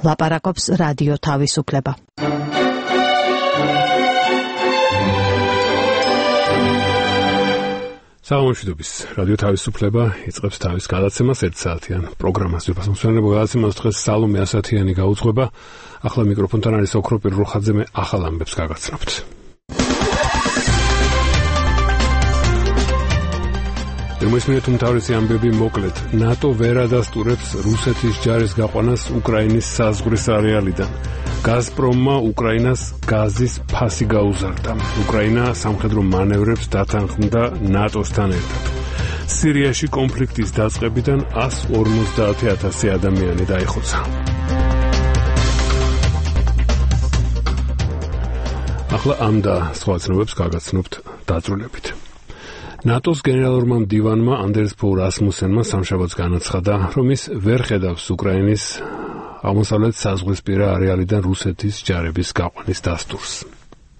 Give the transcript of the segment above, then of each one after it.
ლაპარაკობს რადიო თავისუფლება. საღამოშვიდობის რადიო თავისუფლება იწყებს თავის გადაცემას 1 საათიან პროგრამას. ვიფასმოსვენებო გადაცემას დღეს სალომე ასათიანი გაუძღვება. ახლა მიკროფონთან არის ოქრო პირროხაძე, მე ახალ ამბებს გაგაცნობთ. მისმინეთ უმთავრესი ამბები მოკლედ. ნატო ვერ ადასტურებს რუსეთის ჯარის გაყვანას უკრაინის საზღვრის არეალიდან. გაზპრომმა უკრაინას გაზის ფასი გაუზარდა. უკრაინა სამხედრო მანევრებს დათანხმდა ნატოსთან ერთად. სირიაში კონფლიქტის დაწყებიდან 150,000 ადამიანი დაიხოცა. ახლა ამ და სხვა ცნობებს გაგაცნობთ დაწვრილებით. ნატოს გენერალურმა მდივანმა ანდერს ფო რასმუსენმა სამშაბათს განაცხადა, რომ ის ვერ ხედავს უკრაინის აღმოსავლეთ საზღვრისპირა არეალიდან რუსეთის ჯარების გაყვანის დასტურს.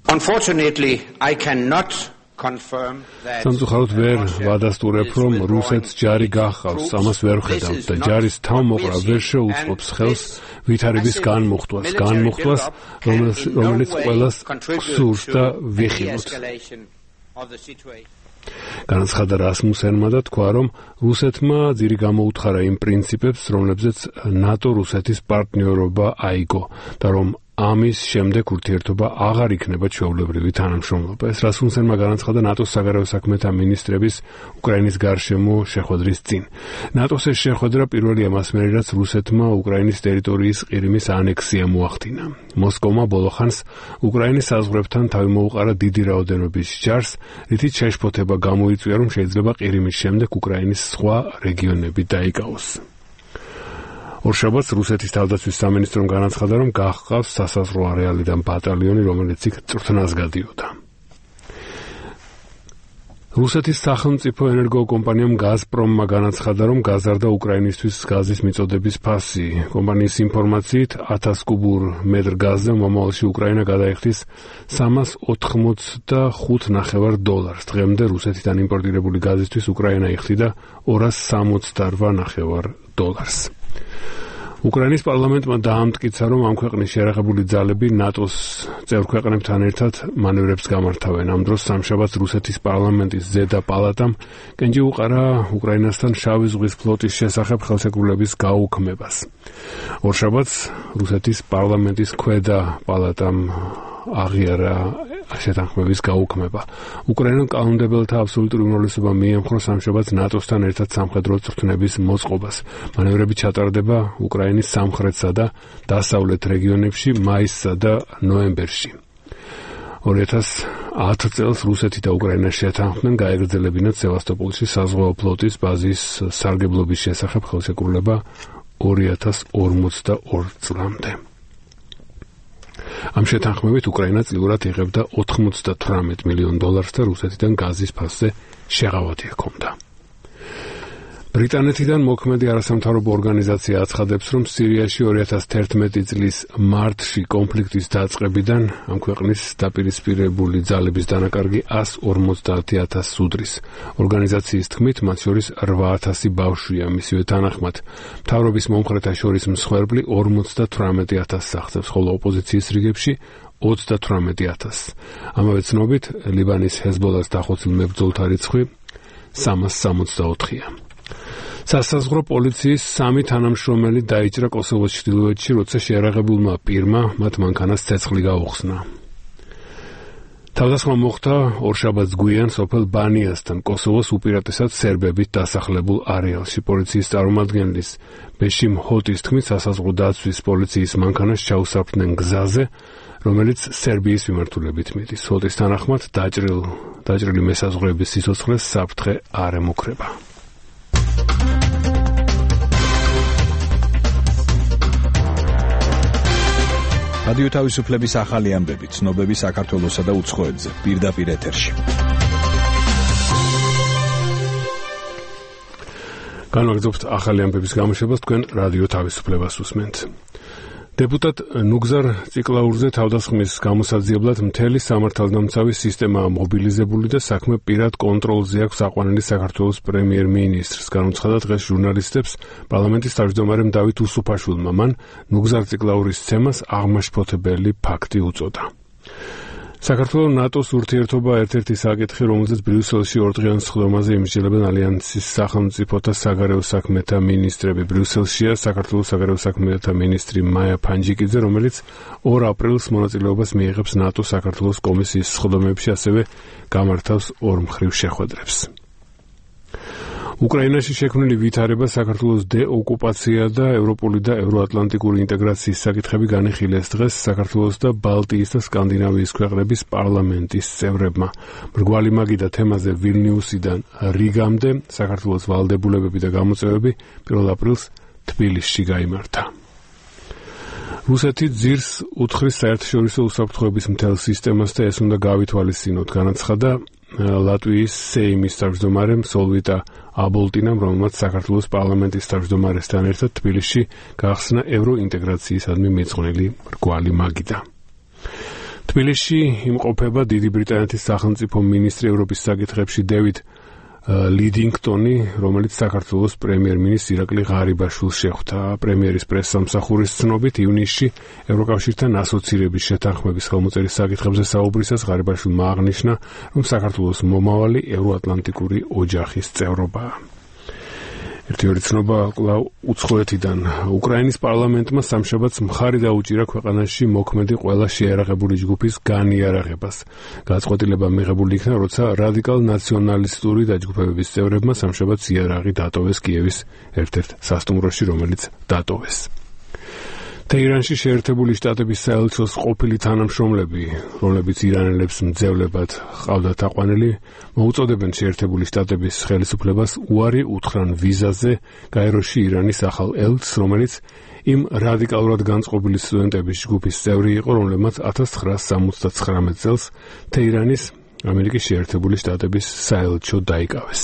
Unfortunately, I cannot confirm that სამწუხაროდ ვერ ვადასტურებ, რომ რუსეთს ჯარი გახავს, ამას ვერ ხედავ და ჯარის თავმოყრა ვერ შეუწყობს ხელს ვითარების განმუხტვას, რომელიც ყველას გსურს და ვიხილოთ. განაცხადა რასმუსენმა და თქვა, რომ რუსეთმა ძირი გამოუთხარა იმ პრინციპებს, რომლებზეც ნატო რუსეთის პარტნიორობა აიგო და რომ ამის შემდეგ ურთიერთობა აღარ იქნება ჩვეულებრივი თანამშრომლობა. ეს რასმუსენმა განაცხადა ნატოს საგარეო საქმეთა მინისტრების უკრაინის გარშემო შეხვედრის წინ. ნატოს ეს შეხვედრა პირველია მასმერი, რაც რუსეთმა უკრაინის ტერიტორიის ყირიმის ანექსია მოახდინა. მოსკოვმა ბოლო ხანს უკრაინის საზღვრებთან თავი მოუყარა დიდი რაოდენობის ჯარს, რითიც შეშფოთება გამოიწვია, რომ შეიძლება ყირიმის შემდეგ უკრაინის სხვა რეგიონები დაიკავოს. ორშაბათს რუსეთის თავდაცვის სამინისტრომ განაცხადა, რომ გახყავს სასაზღვრო არეალიდან ბატალიონი, რომელიც იქ წვრთნას გადიოდა. რუსეთის სახელმწიფო ენერგოკომპანიამ გაზპრომმა განაცხადა, რომ გაზარდა უკრაინისთვის გაზის მიწოდების ფასი. კომპანიის ინფორმაციით 1000 კუბურ მეტრ გაზზე მომავალში უკრაინა გადაიხდის $385.5 დღემდე რუსეთიდან იმპორტირებული გაზისთვის უკრაინა იხდიდა $268.5. უკრაინის პარლამენტმა დაამტკიცა, რომ ამ ქვეყნის შერეხებული ძალები ნატოს წევრ ქვეყნებთან ერთად მანევრებს გამართავენ. ამ დროს სამშაბათს რუსეთის პარლამენტის ზედა პალატამ კენჭი უყარა უკრაინასთან შავი ზღვის ფლოტის შესახებ ხელშეკრულების გაუქმებას. ორშაბათს რუსეთის პარლამენტის ქვედა პალატამ აღიარა შეთანხმების გაუქმება. უკრაინელ კანონმდებელთა აბსოლუტური უმრავლესობა მიემხრო სამშაბათს ნატოსთან ერთად სამხედრო წვრთნების მოწყობას. მანევრები ჩატარდება უკრაინის სამხრეთსა და დასავლეთ რეგიონებში მაისსა და ნოემბერში. 2010 წელს რუსეთი და უკრაინა შეთანხმდნენ გაეგრძელებინათ სევასტოპოლში საზღვაო ფლოტის ბაზის სარგებლობის შესახებ ხელშეკრულება 2042 წლამდე. ამ შეთანხმებით უკრაინა წლიურად იღებდა $98 მილიონ და რუსეთიდან გაზის ფასზე შეღავათი ჰქონდა. ბრიტანეთიდან მოქმედი არასამთავრობო ორგანიზაცია აცხადებს, რომ სირიაში 2011 წლის მარტში კონფლიქტის დაწყებიდან ამ ქვეყნის დაპირისპირებული ძალების დანაკარგი 150,000 სუდრის. ორგანიზაციის თქმით, მათ შორის 8,000 ბავშვია. მისივე თანახმად, მთავრობის მომხრეთა შორის მსხვერპლი 58,000 აღწევს, ხოლო ოპოზიციის რიგებში 38,000. ამავე ცნობით, ლიბანის ჰეზბოლას დახოცილ მებრძოლთა რიცხვი 364-ია. სასაზღვრო პოლიციის 3 თანამშრომელი დაიჭრა კოსოვოს ჩრდილოეთში, როცა შეერაღებულმა პირმა მათ მანქანას ცეცხლი გაუხსნა. თავდასხმა მოხდა ორშაბათს გვიან სოფელ ბანიასთან, კოსოვოს უპირატესად სერბებით დასახლებულ არეალში. პოლიციის წარმომადგენლის ბეშიმ ჰოტის თქმით, სასაზღვრო დაცვის პოლიციის მანქანას ჩაუსაფრდნენ გზაზე, რომელიც სერბიის მიმართულებით მიდის. ჰოტის თანახმად დაჭრილი მესაზღვრეების სიცოცხლეს საფრთხე არ ემუქრება. რადიო თავისუფლების ახალი ამბები, ცნობები საქართველოსა და უცხოეთზე, პირდაპირ ეთერში. განვაგრძობთ ახალი ამბების გამოშვებას, თქვენ რადიო თავისუფლებას უსმენთ. Deputat Nugzar Tsiklaurze თავდასხმის გამოსაძიებლად მთელი სამართალდამცავი სისტემა მობილიზებული და საქმე პირად კონტროლზე აქვს აყვანილი საქართველოს პრემიერ-მინისტრს. განუცხადა დღეს ჟურნალისტებს პარლამენტის თავმჯდომარემ დავით უსუფაშვილმა. მან Nugzar Tsiklauris ცემას აღმაშფოთებელი ფაქტი უწოდა. საქართველოს ნატოს ურთიერთობა ერთ-ერთი საკითხი, რომელზეც ბრიუსელში ორდღიან სხდომაზე იმსჯელებენ ალიანსის სახელმწიფოთა საგარეო საქმეთა მინისტრები. ბრიუსელშია საქართველოს საგარეო საქმეთა მინისტრი მაია ფანჯიკიძე, რომელიც 2 აპრილს მონაწილეობას მიიღებს ნატოს საქართველოს კომისიის სხდომებში, ასევე გამართავს ორმხრივ შეხვედრებს. უკრაინაში შექმნილი ვითარება, საქართველოს დეოკუპაცია და ევროპული და ევროატლანტიკური ინტეგრაციის საკითხები განიხილეს დღეს საქართველოს და ბალტიის და სკანდინავიის ქვეყნების პარლამენტის წევრებმა. მრგვალი მაგიდა თემაზე ვილნიუსიდან რიგამდე საქართველოს ვალდებულებები და გამოწვევები 1 აპრილს თბილისში გაიმართა. რუსეთი ძირს უთხრის საერთაშორისო უსაფრთხოების მთელ სისტემას და ეს უნდა გავითვალისწინოთ, განაცხადა ლატვიის სეიმის თავმჯდომარემ სოლვიტა აბოლტინამ, რომელმაც საქართველოს პარლამენტის თავმჯდომარესთან ერთად თბილისში გაახსნა ევროინტეგრაციისადმი მიძღვნილი მრგვალი მაგიდა. თბილისში იმყოფება დიდი ბრიტანეთის სახელმწიფო მინისტრი ევროპის საკითხებში დევიდ ლიდინგტონი, რომელიც საქართველოს პრემიერ-მინისტრ ირაკლი ღარიბაშვილს შეხვდა. პრემიერის პრესსამსახურის ცნობით, ივნისში ევროკავშირთან ასოცირების შეთანხმების ხელმოწერის საკითხებზე საუბრისას ღარიბაშვილმა აღნიშნა, რომ საქართველოს მომავალი ევროატლანტიკური ოჯახის წევრობაა. ერთი ცნობა კვლავ უცხოეთიდან. უკრაინის პარლამენტმა სამშაბათს მხარი დაუჭირა ქვეყანაში მოქმედი ყველა შეიარაღებული ჯგუფის განიარაღებას. გადაწყვეტილება მიღებული იქნა, როცა რადიკალ ნაციონალისტური დაჯგუფებების წევრებმა სამშაბათს იარაღი დატოვეს კიევის ერთ-ერთ სასტუმროში, რომელიც დატოვეს. თეირანში შეერთებული შტატების საელჩოს ყოფილი თანამშრომლები, რომლებიც ირანელებს მძევლებად ჰყავდათ აყვანილი, მოუწოდებენ შეერთებული შტატების ხელისუფლებას უარი უთხრან ვიზაზე გაეროში ირანის ახალ ელჩს, რომელიც იმ რადიკალურად განწყობილი სტუდენტების ჯგუფის წევრი იყო, რომლებმაც 1979 წელს თეირანის ამერიკის შეერთებული შტატების საელჩო დაიკავეს.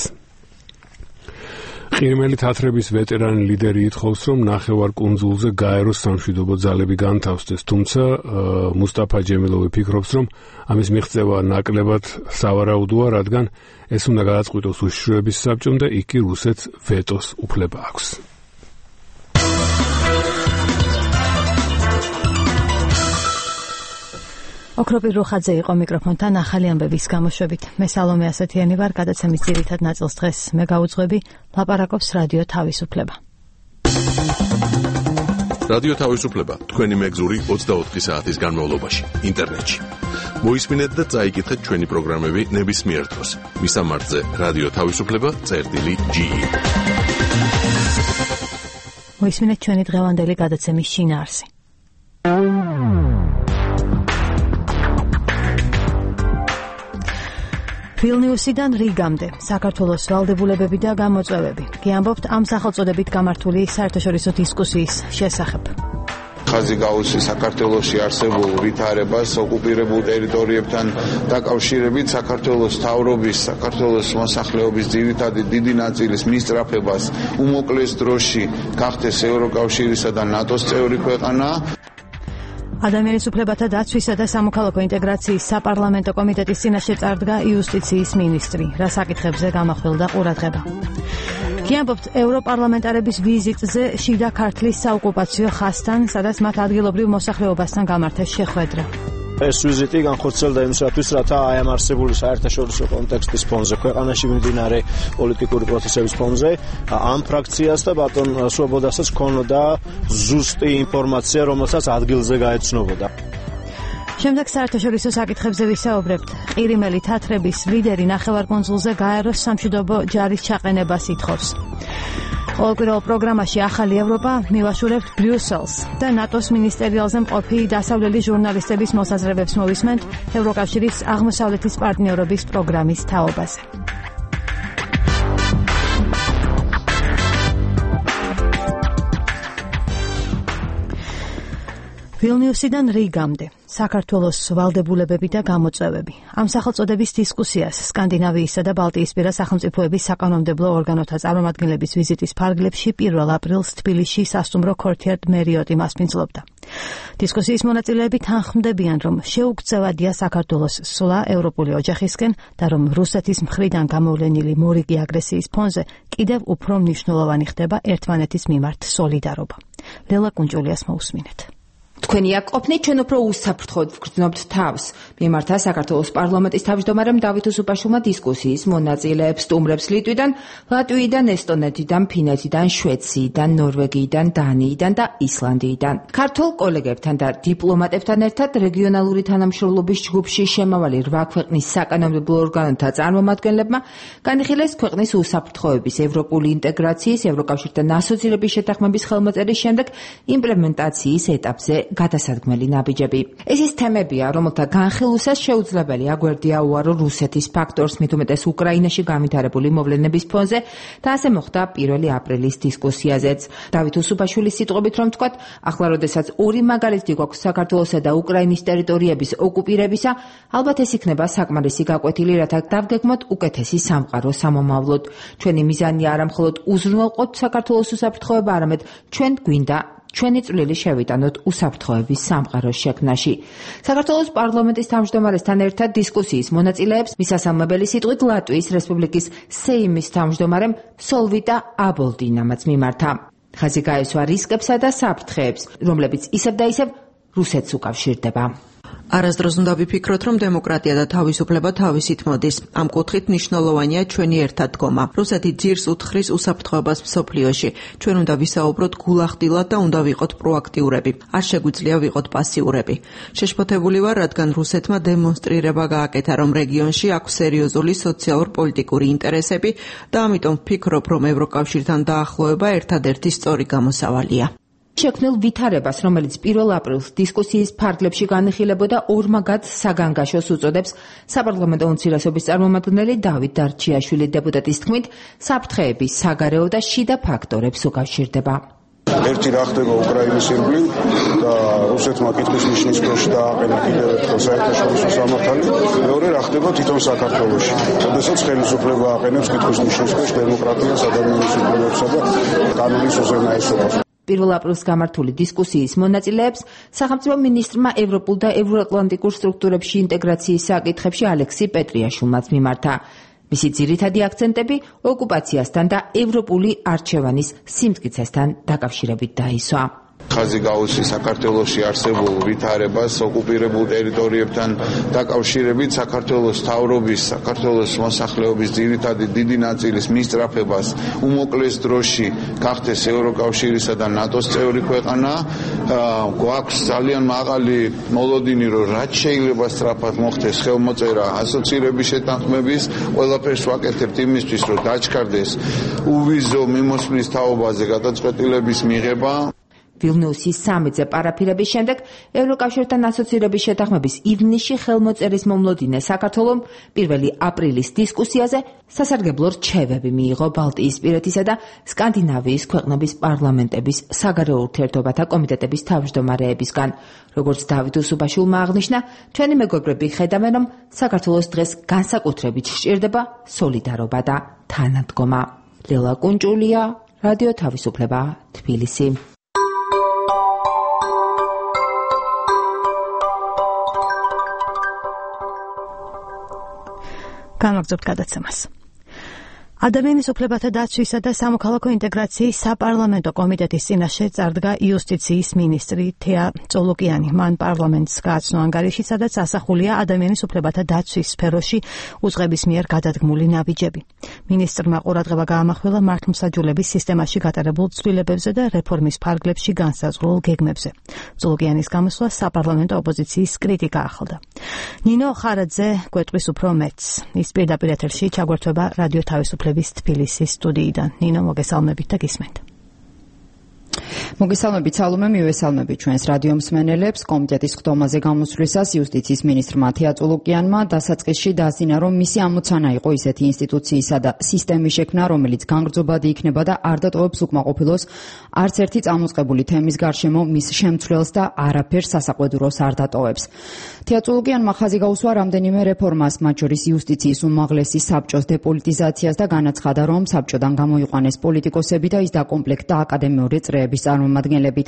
ყირიმელი თათრების ვეტერანი ლიდერი ითხოვს, რომ ნახევარკუნძულზე გაეროს სამშვიდობო ძალები განთავსდეს, თუმცა მუსტაფა ჯემილოვი ფიქრობს, რომ ამის მიღწევა ნაკლებად სავარაუდოა, რადგან ეს უნდა გადაწყვიტოს უშიშროების საბჭომ და იქ კი რუსეთს ვეტოს უფლება აქვს. ოქროპირ რუხაძე იყო მიკროფონთან ახალი ამბების გამოშვებით. მე სალომე ასათიანი ვარ, გადაცემის ძირითად ნაწილს დღეს მე გავუძღვები, ლაპარაკობს რადიო თავისუფლება. რადიო თავისუფლება თქვენი მეგზური 24 საათის განმავლობაში ინტერნეტში. მოისმინეთ და წაიკითხეთ ჩვენი პროგრამები ნებისმიერ დროს. მისამართზე რადიო თავისუფლება.ge. მოისმინეთ ჩვენი დღევანდელი გადაცემის შინაარსი. ვილნიუსიდან რიგამდე საქართველოს ვალდებულებები და გამოწვევები. გიამბობთ ამ სახელწოდებით გამართული საერთაშორისო დისკუსიის შესახებ. ხაზი გაუსი საქართველოში არსებულ ვითარებას ოკუპირებულ ტერიტორიებთან დაკავშირებით საქართველოს თავრობის, საქართველოს მოსახლეობის ძირითადი დიდი ნაწილის მისწრაფებას უმოკლეს დროში გახდეს ევროკავშირისა და ნატოს წევრი ქვეყანა. ადამიანის უფლებათა დაცვისა და სამოქალაქო ინტეგრაციის საპარლამენტო კომიტეტის წინაშე წარდგა იუსტიციის მინისტრი, რა საკითხებზე გამახვილდა ყურადღება. გიამბობთ ევროპარლამენტარების ვიზიტზე შიდა ქართლის საოკუპაციო ხაზთან, სადაც მათ ადგილობრივ მოსახლეობასთან გამართეს შეხვედრა. ეს ვიზიტი განხორციელდა იმისათვის, რათა აი ამ არსებული საერთაშორისო კონტექსტის ფონზე, ქვეყანაში მიმდინარე პოლიტიკური პროცესების ფონზე, ამ ფრაქციას და ბატონ სვობოდასაც ქონოდა ზუსტი ინფორმაცია, რომელსაც ადგილზე გაეცნობოდა. შემდეგ საერთაშორისო საკითხებზე ვისაუბრებთ. ყირიმელი თათრების ლიდერი ნახევარკუნძულზე გაეროს სამშვიდობო ჯარის ჩაყენებას ითხოვს. ყოველკვირეულ პროგრამაში ახალი ევროპა მივაშურებთ ბრიუსელს და ნატოს მინისტერიალზე მყოფი დასავლელი ჟურნალისტების მოსაზრებებს მოვისმენთ ევროკავშირის აღმოსავლეთის პარტნიორობის პროგრამის თაობაზე. ვილნიუსიდან რიგამდე საქართველოს ვალდებულებები და გამოწვევები. Ამ სახელწოდების დისკუსიას სკანდინავიისა და ბალტიისპირა სახელმწიფოების საკანონმდებლო ორგანოთა წარმომადგენლების ვიზიტის ფარგლებში 1 აპრილს თბილისში სასტუმრო ქორთიარდ მერიოტი მასპინძლობდა. დისკუსიის მონაწილეები თანხმდებიან, რომ შეუგწევადია საქართველოს სვლა ევროპული ოჯახისკენ და რომ რუსეთის მხრიდან გამოვლენილი მორიგი აგრესიის ფონზე კიდევ უფრო მნიშვნელოვანი ხდება ერთმანეთის მიმართ სოლიდარობა. ლელა კუნჭულიას მოусმინეთ. თქვენი აქ ყოფნით ჩვენ უფრო უსაფრთხოდ ვგრძნობთ თავს. მიმართა საქართველოს პარლამენტის თავმჯდომარემ დავით უსუპაშვილმა დისკუსიის მონაწილეებს სტუმრებს ლიტვიდან, ლატვიიდან, ესტონეთიდან, ფინეთიდან, შვედეთიდან, ნორვეგიიდან, დანიიდან და ისლანდიიდან. ქართულ კოლეგებთან და დიპლომატებთან ერთად რეგიონალური თანამშრომლობის ჯგუფში შემავალი 8 ქვეყნის საკანონმდებლო ორგანოთა წარმომადგენლებმა განიხილეს ქვეყნის უსაფრთხოების, ევროპული ინტეგრაციის, ევროკავშირთან ასოცირების შეთანხმების ხელმოწერის შემდეგ იმპლემენტაციის ეტაპზე გადასადგმელი ნაბიჯები. ეს ის თემებია, რომელთა განხილვასაც შეუძლებელი აგვერდია უარო რუსეთის ფაქტორს, მით უმეტეს უკრაინაში განვითარებული მოვლენების ფონზე და ასე მოხდა 1 აპრილის დისკუსიაზეც. დავით უსუპაშვილის სიტყვებით რომ ვთქვათ, ახლა როდესაც ორი მაგალითი გვაქვს საქართველოსა და უკრაინის ტერიტორიების ოკუპირებისა, ალბათ ეს იქნება საკმარისი გაკვეთილი, რათა დავგეგმოთ უკეთესი სამყარო სამომავლოდ. ჩვენი მიზანია არა მხოლოდ უზრუნველყოთ საქართველოს უსაფრთხოება, არამედ ჩვენ გვინდა ჩვენი წვლილი შევიტანოთ უსაფრთხოების სამყაროს შექმნაში. საქართველოს პარლამენტის თავმჯდომარესთან ერთად დისკუსიის მონაწილეებს მისასალმებელი სიტყვით ლატვიის რესპუბლიკის სეიმის თავმჯდომარემ სოლვიტა აბოლდინამაც მიმართა. ხაზი გაესვა რისკებსა და საფრთხეებს, რომლებიც ისევ და ისევ რუსეთს უკავშირდება. არასდროს უნდა ვიფიქროთ, რომ დემოკრატია და თავისუფლება თავისით მოდის. ამ კუთხით მნიშვნელოვანია ჩვენი ერთადგომა. რუსეთი ძირს უთხრის უსაფრთხოებას მსოფლიოში. ჩვენ უნდა ვისაუბროთ გულახდილად და უნდა ვიყოთ პროაქტიურები. არ შეგვიძლია ვიყოთ პასიურები. შეშფოთებული ვარ, რადგან რუსეთმა დემონსტრირება გააკეთა, რომ რეგიონში აქვს სერიოზული სოციალურ-პოლიტიკური ინტერესები და ამიტომ ვფიქრობ, რომ ევროკავშირთან დაახლოება ერთადერთი სწორი გამოსავალია. შექმნილ ვითარებას, რომელიც 1 აპრილს დისკუსიის ფარგლებში განიხილებოდა ორმაგად საგანგაშოს უწოდებს საპარლამენტო უმცირესობის წარმომადგენელი დავით დარჩიაშვილი დეპუტატის თქმით, საფრთხეების საგარეო და შიდა ფაქტორებს უკავშირდება. ერთი რა ხდება უკრაინის ირგვლივ და რუსეთმა კითხვის ნიშნის ქვეშ დააყენა კიდევ ერთხელ საერთაშორისო სამართალი, მეორე რა ხდება თვითონ საქართველოში, როდესაც ხელისუფლება აყენებს კითხვის ნიშნის ქვეშ დემოკრატიას, ადამიანის უფლებებსა და კანონის უზენაესობას. 1 აპრილს გამართული დისკუსიის მონაწილეებს სახელმწიფო მინისტრმა ევროპულ და ევროატლანტიკურ სტრუქტურებში ინტეგრაციის საკითხებში ალექსი პეტრიაშვილმაც მიმართა. მისი ძირითადი აქცენტები ოკუპაციასთან და ევროპული არჩევანის სიმტკიცესთან დაკავშირებით დაისვა. ხაზი გაუსი საქართველოში არსებულ ვითარებას ოკუპირებულ ტერიტორიებთან დაკავშირებით საქართველოს თავრობის, საქართველოს მოსახლეობის ძირითადი დიდი ნაწილის მისწრაფებას უმოკლეს დროში გახდეს ევროკავშირისა და ნატოს წევრი ქვეყანა. გვაქვს ძალიან მაღალი მოლოდინი, რომ რაც შეიძლება სწრაფად მოხდეს ხელმოწერა ასოცირების შეთანხმების, ყველაფერს ვაკეთებთ იმისთვის, რომ დაჩქარდეს უვიზო მიმოსვლის თაობაზე გადაწყვეტილების მიღება. ვილნიუსის სამიტზე პარაფირების შემდეგ ევროკავშირთან ასოცირების შეთანხმების ივნისში ხელმოწერის მომლოდინე საქართველომ 1 აპრილის დისკუსიაზე სასარგებლო რჩევები მიიღო ბალტიისპირეთისა და სკანდინავიის ქვეყნების პარლამენტების საგარეო ურთიერთობათა კომიტეტების თავმჯდომარეებისგან. როგორც დავით უსუპაშვილმა აღნიშნა, ჩვენი მეგობრები ხედავენ, რომ საქართველოს დღეს განსაკუთრებით სჭირდება სოლიდარობა და თანადგომა. ლელა კუნჭულია, რადიო თავისუფლება, თბილისი. გამაგზავნებთ გადაცემას. ადამიანის უფლებათა დაცვისა და სამოქალაქო ინტეგრაციის საპარლამენტო კომიტეტის წინაშე წარდგა იუსტიციის მინისტრი თეა წოლოკიანი. მან პარლამენტს გააცნო ანგარიში, სადაც ასახულია ადამიანის უფლებათა დაცვის სფეროში უწყების მიერ გადადგმული ნაბიჯები. მინისტრმა ყურადღება გაამახვილა მართლმსაჯულების სისტემაში გატარებულ ცვლილებებზე და რეფორმის ფარგლებში განსაზღვრულ გეგმებზე. წოლოკიანის გამოსვლა საპარლამენტო ოპოზიციის კრიტიკა ახლდა. ნინო ხარაძე გვეტყვის უფრო მეტს. ის პირდაპირ ეთერში ჩაგვერთვება რადიო თავისუფლების თბილისის სტუდიიდან. ნინო, მოგესალმებით და გისმენთ. მოგესალმებით სალომე, მივესალმებით ჩვენს რადიო მსმენელებს. კომიტეტის ხდომაზე გამოსვლისას იუსტიციის მინისტრმა თეატრულუკიანმა დასაწყისში დაასწინა, რომ მისი ამოცანა იყო ისეთი ინსტიტუციისა და სისტემის შექმნა, რომელიც განგრძობადი იქნება და არ დატოვებს უკმაყოფილოს არც ერთი წამოწყებული თემის გარშემო მის შემცვლელს და არაფერს სასაყვედუროს არ დატოვებს. თეატრულუკიანმა ხაზი გაუსვა რამდენიმე რეფორმას, მათ შორის იუსტიციის უმაღლესი საბჭოს დეპოლიტიზაციას და განაცხადა, რომ საბჭოდან გამოიყვანეს პოლიტიკოსები და ის დაკომპლექტდა აკადემიური წრეების წარმომადგენლებით.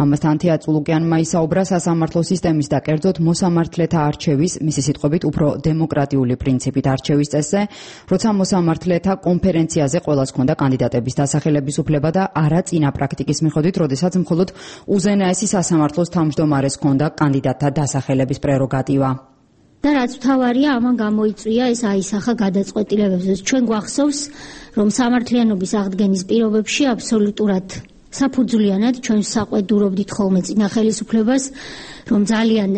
ამასთან თეატრულუკიანმა ისაუბრა სასამართლო სისტემის და კერძოდ მოსამართლეთა არჩევის, მისი სიტყვებით უფრო დემოკრატიული პრინციპით არჩევის წესზე, როცა მოსამართლეთა კონფერენციაზე ყველას ჰქონდა კანდიდატების დასახელების უფლება და არა წინა პრაქტიკის მიხედვით, როდესაც მხოლოდ უზენაესი სასამართლოს თავმჯდომარეს ჰქონდა კანდიდატთა დასახელების პრეროგატივა. და რაც მთავარია, ამან გამოიწვია ეს აისახა გადაწყვეტილებებზე. ჩვენ გვახსოვს, რომ სამართლიანობის აღდგენის პირობებში აბსოლუტურად საფუძვლიანად ჩვენ საყვედურობდით ხოლმე წინა ხელისუფლებას, რომ ძალიან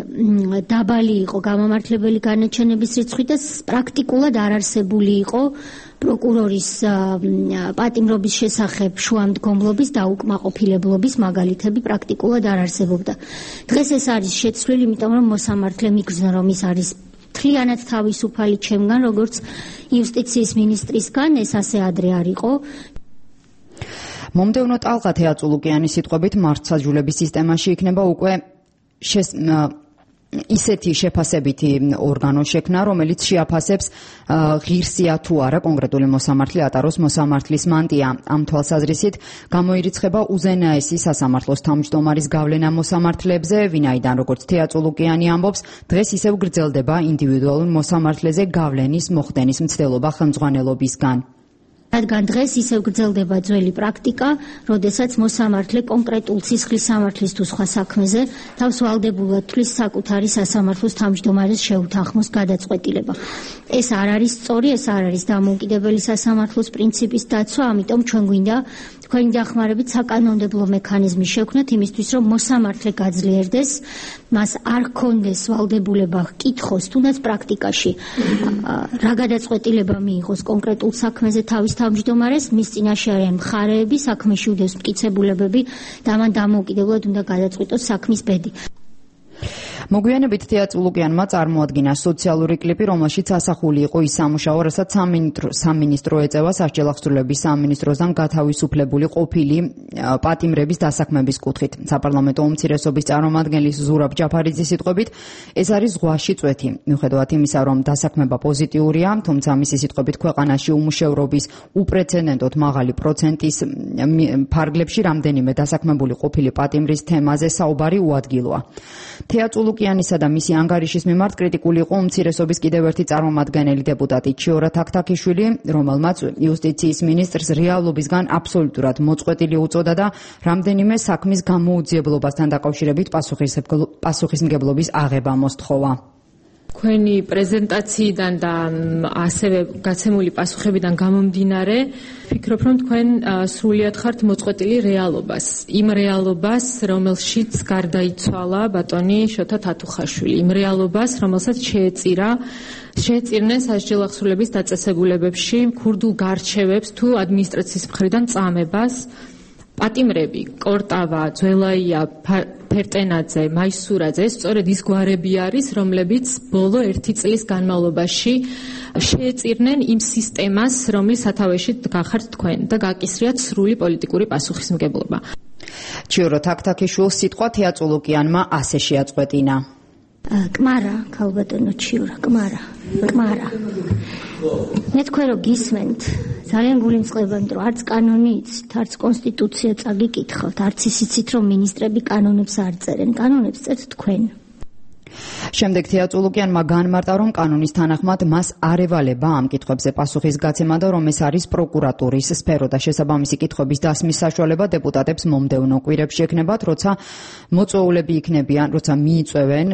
დაბალი იყო გამამართლებელი განაჩენების რიცხვი და პრაქტიკულად არ არსებული იყო პროკურორის პატიმრობის შესახებ შუამდგომლობის და უკმაყოფილებლობის მაგალითები პრაქტიკულად არ არსებობდა. დღეს ეს არის შეცვლილი, იმიტომ რომ მოსამართლე მიგრძნო, რომ ის არის მთლიანად თავისუფალი ჩემგან, როგორც იუსტიციის მინისტრისგან, ეს ასე ადრე არ იყო. მომდევნო ტალღა თეატრულუკიანის სიტყვებით მართლმსაჯულების სისტემაში იქნება უკვე ისეთი შეფასებითი ორგანო შექმნა, რომელიც შეაფასებს ღირსია თუ არა კონკრეტული მოსამართლე ატაროს მოსამართლის მანტია. ამ თვალსაზრისით გამოირიცხება უზენაესი სასამართლოს თავმჯდომარის გავლენა მოსამართლეებზე, ვინაიდან როგორც თეატრულუკიანი ამბობს, დღეს ისევ გრძელდება ინდივიდუალურ მოსამართლეზე გავლენის მოხდენის მცდელობა ხელმძღვანელობისგან. რადგან დღეს ისევ გრძელდება ძველი პრაქტიკა, როდესაც მოსამართლე კონკრეტულ სისხლის სამართლის თუ სხვა საქმეზე თავს ვალდებულად თვლის საკუთარი სასამართლოს თავმჯდომარის შეუთანხმოს გადაწყვეტილება. ეს არ არის სწორი, ეს არ არის დამოუკიდებელი სასამართლოს პრინციპის დაცვა, ამიტომ ჩვენ გვინდა თქვენი დახმარებით საკანონმდებლო მექანიზმი შევქმნათ იმისთვის, რომ მოსამართლე გაძლიერდეს, მას არ ჰქონდეს ვალდებულება კითხოს, თუნდაც პრაქტიკაში რა გადაწყვეტილება მიიღოს კონკრეტულ საქმეზე თავის თავმჯდომარეს, მის წინაშე არიან მხარეები, საქმეში უდევს მტკიცებულებები და მან დამოუკიდებლად უნდა გადაწყვიტოს საქმის ბედი. მოგვიანებით თეატრულუკიანმა წარმოადგინა სოციალური კლიპი, რომელშიც ასახული იყო ის სამუშაო, რასაც სამინისტრო ეწევა სასჯელ აღსრულების სამინისტროსთან გათავისუფლებული ყოფილი პატიმრების დასაქმების კუთხით. საპარლამენტო უმცირესობის წარმომადგენლის ზურაბ ჯაფარიძის სიტყვებით, ეს არის ზღვაში წვეთი. მიუხედავად იმისა, რომ დასაქმება პოზიტიურია, თუმცა მისი სიტყვებით ქვეყანაში უმუშევრობის უპრეცედენტოდ მაღალი პროცენტის ფარგლებში რამდენიმე დასაქმებული ყოფილი პატიმრის თემაზე საუბარი უადგილოა. თეატრულუკიანისა და მისი ანგარიშის მიმართ კრიტიკული იყო უმცირესობის კიდევ ერთი წარმომადგენელი დეპუტატი ჩიორა თაქთაქიშვილი, რომელმაც იუსტიციის მინისტრს რეალობისგან აბსოლუტურად მოწყვეტილი უწოდა და რამდენიმე საქმის გამოუძიებლობასთან დაკავშირებით პასუხისმგებლობის აღება მოსთხოვა. თქვენი პრეზენტაციიდან და ასევე გაცემული პასუხებიდან გამომდინარე, ვფიქრობ, რომ თქვენ სრულიად ხართ მოწყვეტილი რეალობას. იმ რეალობას, რომელშიც გარდაიცვალა ბატონი შოთა თათუხაშვილი, იმ რეალობას, რომელსაც შეეწირნენ სასჯელ აღსრულების დაწესებულებებში ქურდულ გარჩევებს თუ ადმინისტრაციის მხრიდან წამებას. პატიმრები, კორტავა, ძველაია, ფერტენაძე, მაისურაძე, ეს სწორედ ის გვარები არის, რომლებიც ბოლო 1 წლის განმავლობაში შეეწირნენ იმ სისტემას, რომლის სათავეში გახართ თქვენ და გაკისრიათ სრული პოლიტიკური პასუხისმგებლობა. ჩიორო თაქთაქიშვილს სიტყვა თეატრულუკიანმა ასე შეაწყვეტინა. კმარა, ქალბატონო ჩიორა, კმარა. მე თქვენ რო გისმენთ, ძალიან გულიმწყება, იმიტომ რომ არც კანონი იცით, არც კონსტიტუცია წაგიკითხავთ, არც ისიცით, რომ მინისტრები კანონებს არ წერენ, კანონებს წერთ თქვენ. შემდეგ თეატრულუკიანმა განმარტა, რომ კანონის თანახმად მას არ ევალება ამ კითხვებზე პასუხის გაცემა და რომ ეს არის პროკურატურის სფერო და შესაბამისი კითხვების დასმის საშუალება დეპუტატებს მომდევნო კვირებში ექნებათ, როცა მოწვეულები იქნებიან, როცა მიიწვევენ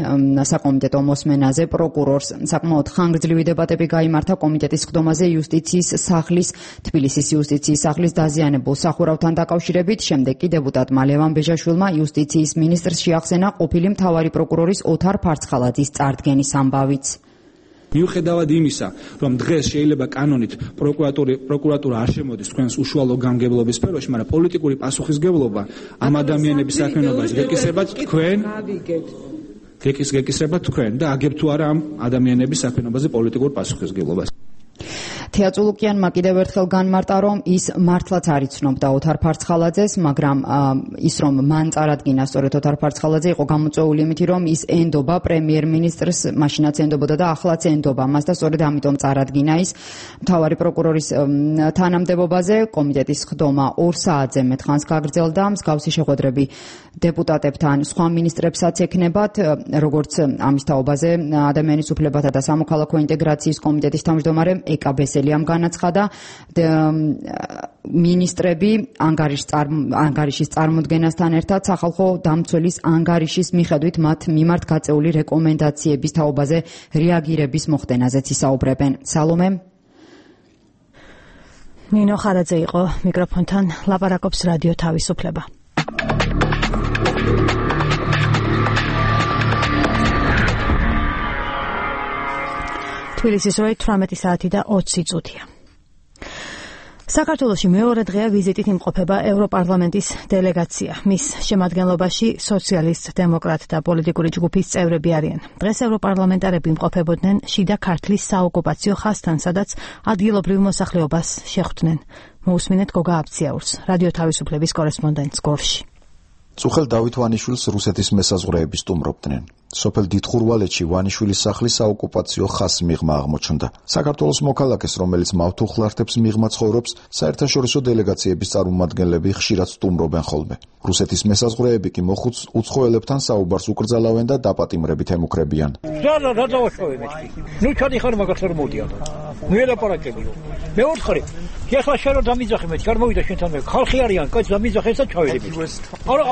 საკომიტეტო მოსმენაზე პროკურორს. საკმაოდ ხანგრძლივი დებატები გაიმართა კომიტეტის ხდომაზე იუსტიციის სახლის, თბილისის იუსტიციის სახლის დაზიანებულ სახურავთან დაკავშირებით. შემდეგ კი დეპუტატმა ლევან ბეჟაშვილმა იუსტიციის მინისტრს შეახსენა ყოფილი მთავარი პროკურორის ოთარ ფარცხალაძის წარდგენის ამბავიც. მიუხედავად იმისა, რომ დღეს შეიძლება კანონით პროკურატურა არ შემოდის თქვენს უშუალო გამგებლობის სფეროში, მაგრამ პოლიტიკური პასუხისგებლობა ამ ადამიანების საქმიანობაში გეკისრებათ თქვენ და აგებთ თუ არა ამ ადამიანების საქმიანობაზე პოლიტიკურ პასუხისგებლობას. თეატრულუკიანმა კიდევ ერთხელ განმარტა, რომ ის მართლაც არ იცნობდა ოთარ ფარცხალაძეს, მაგრამ ის რომ მან წარადგინა სწორედ ოთარ ფარცხალაძე იყო გამოწვეული იმით, რომ ის ენდობა პრემიერ-მინისტრს, მაშინაც ენდობოდა და ახლაც ენდობა მას და სწორედ ამიტომ წარადგინა ის მთავარი პროკურორის თანამდებობაზე. კომიტეტის ხდომა 2 საათზე მეტხანს გაგრძელდა. მსგავსი შეხვედრები დეპუტატებთან, სხვა მინისტრებსაც ექნებათ, როგორც ამის თაობაზე ადამიანის უფლებათა და სამოქალაქო ინტეგრაციის კომიტეტის თავმჯდომარე ეკა ბესელიამ განაცხადა, მინისტრები ანგარიშის წარმოდგენასთან ერთად სახალხო დამცველის ანგარიშის მიხედვით მათ მიმართ გაწეული რეკომენდაციების თაობაზე რეაგირების მოხდენაზეც ისაუბრებენ. სალომე ნინო ხარაძე იყო მიკროფონთან, ლაპარაკობს რადიო თავისუფლება. თბილისის 18 საათი და 20 წუთია. საქართველოში მეორე დღეა ვიზიტით იმყოფება ევროპარლამენტის დელეგაცია. მის შემადგენლობაში სოციალისტ, დემოკრატ და პოლიტიკური ჯგუფის წევრები არიან. დღეს ევროპარლამენტარები იმყოფებოდნენ შიდა ქართლის საოკუპაციო ხაზთან, სადაც ადგილობრივ მოსახლეობას შეხვდნენ. მოусმინეთ გოგა აბციაურს, რადიო თავისუფლების კორესპონდენტს გორში. წუხელ დავით ვანიშვილს რუსეთის მესაზღვრეები სტუმრობდნენ. სოფელ დიდხურვალეთში ვანიშვილის სახლის საოკუპაციო ხაზს მიღმა აღმოჩნდა. საქართველოს მოქალაქეს, რომელიც მავთუხლართებს მიღმა ცხოვრობს, საერთაშორისო დელეგაციების წარმომადგენლები ხშირად სტუმრობენ ხოლმე. რუსეთის მესაზღვრეები კი მოხუც უცხოელებთან საუბარს უკრძალავენ და დაპატიმრებით ემუქრებიან. ეხლა შენ რომ დამიძახე მე ჩარმოვიდა შენთან მე ხალხი არიან კაც დამიძახე და ჩავედები არა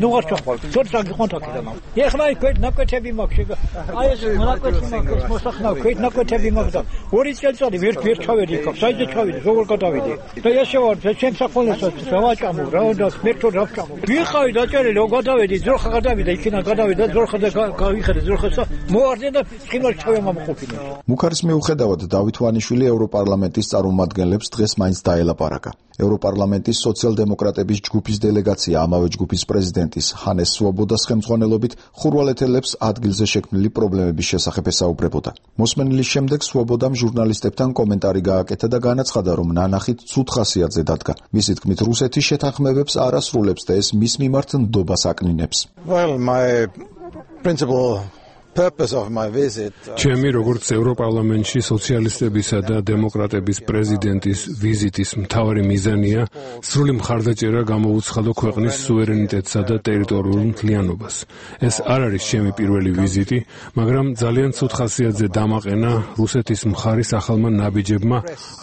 ნუ არ ჩახვალ ცოტა გიხონთაკიდან ეხლა იქ ნაკვეთები მაქვს აი ეს ნაკვეთი მაქვს მოსახნავ ქეთ ნაკვეთები მაქვს და 2 წელიწადი ვერ ჩავედი იქ საერთოდ ჩავედი როგორ გადავიდი და ესე ვარ ჩემ საქონლესაც დავაჭამო რა და მერტო დავჭამო ვიყავი დაჭერილი რომ გადავედი ძროხა გადავიდა იქიდან გადავედი და ძროხა და გავიხედე ძროხასა მოარდე და წინვალ ჩავემამყოფინე მუქარის მიუხედავად დავით ვანიშვილი ევროპარლამენტის წარმომადგენლებს დღეს მაინც დაელაპარაკა. ევროპარლამენტის სოციალ-დემოკრატების ჯგუფის დელეგაცია ამავე ჯგუფის პრეზიდენტის ჰანეს სვობოდას ხელმძღვანელობით ხურვალეთელებს ადგილზე შექმნილი პრობლემების შესახებ ესაუბრებოდა. მოსმენილის შემდეგ სვობოდამ ჟურნალისტებთან კომენტარი გააკეთა და განაცხადა, რომ ნანახით ცუდ ხასიათზე დადგა. მისი თქმით, რუსეთი შეთანხმებებს არ ასრულებს და ეს მის მიმართ ნდობას აკნინებს. ჩემი როგორც ევროპარლამენტში სოციალისტებისა და დემოკრატების პრეზიდენტის ვიზიტის მთავარი მიზანია სრული მხარდაჭერა გამოუცხადო ქვეყნის სუვერენიტეტსა და ტერიტორიულ მთლიანობას. ეს არ არის ჩემი პირველი ვიზიტი, მაგრამ ძალიან ცუდ ხასიათზე დამაყენა რუსეთის მხარის ახალმა ნაბიჯებმა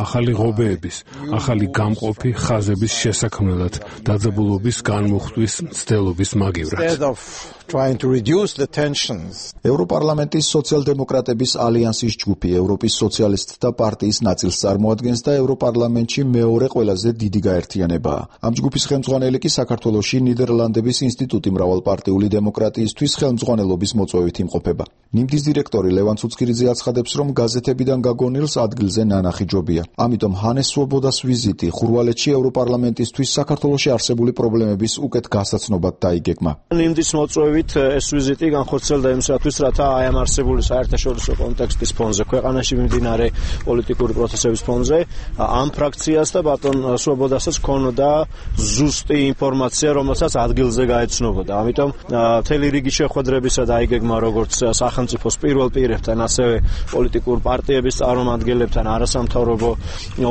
ახალი ღობეების, ახალი გამყოფი ხაზების შესაქმნელად დაძაბულობის განმუხტვის მცდელობის მაგივრად. ევროპარლამენტის სოციალ-დემოკრატების ალიანსის ჯგუფი ევროპის სოციალისტთა პარტიის ნაწილს წარმოადგენს და ევროპარლამენტში მეორე ყველაზე დიდი გაერთიანებაა. ამ ჯგუფის ხელმძღვანელი კი საქართველოში ნიდერლანდების ინსტიტუტი მრავალპარტიული დემოკრატიისთვის ხელმძღვანელობის მოწვევით იმყოფება. ნიმდის დირექტორი ლევან ცუცქირიძე აცხადებს, რომ გაზეთებიდან გაგონილს ადგილზე ნანახი ჯობია. ამიტომ ჰანეს სვობოდას ვიზიტი ხურვალეთში ევროპარლამენტისთვის საქართველოში არსებული პრობლემების უკეთ გასაცნობად დაიგეგმა. ნიმდის მოწვევით ეს ვიზიტი განხორციელდა იმისათვის, რათა აი ამ არსებული საერთაშორისო კონტექსტის ფონზე, ქვეყანაში მიმდინარე პოლიტიკური პროცესების ფონზე, ამ ფრაქციას და ბატონ სვობოდასაც ქონოდა ზუსტი ინფორმაცია, რომელსაც ადგილზე გაეცნობოდა. ამიტომ მთელი რიგი შეხვედრებისა დაიგეგმა როგორც სახელმწიფოს პირველ პირებთან, ასევე პოლიტიკურ პარტიების წარმომადგენლებთან, არასამთავრობო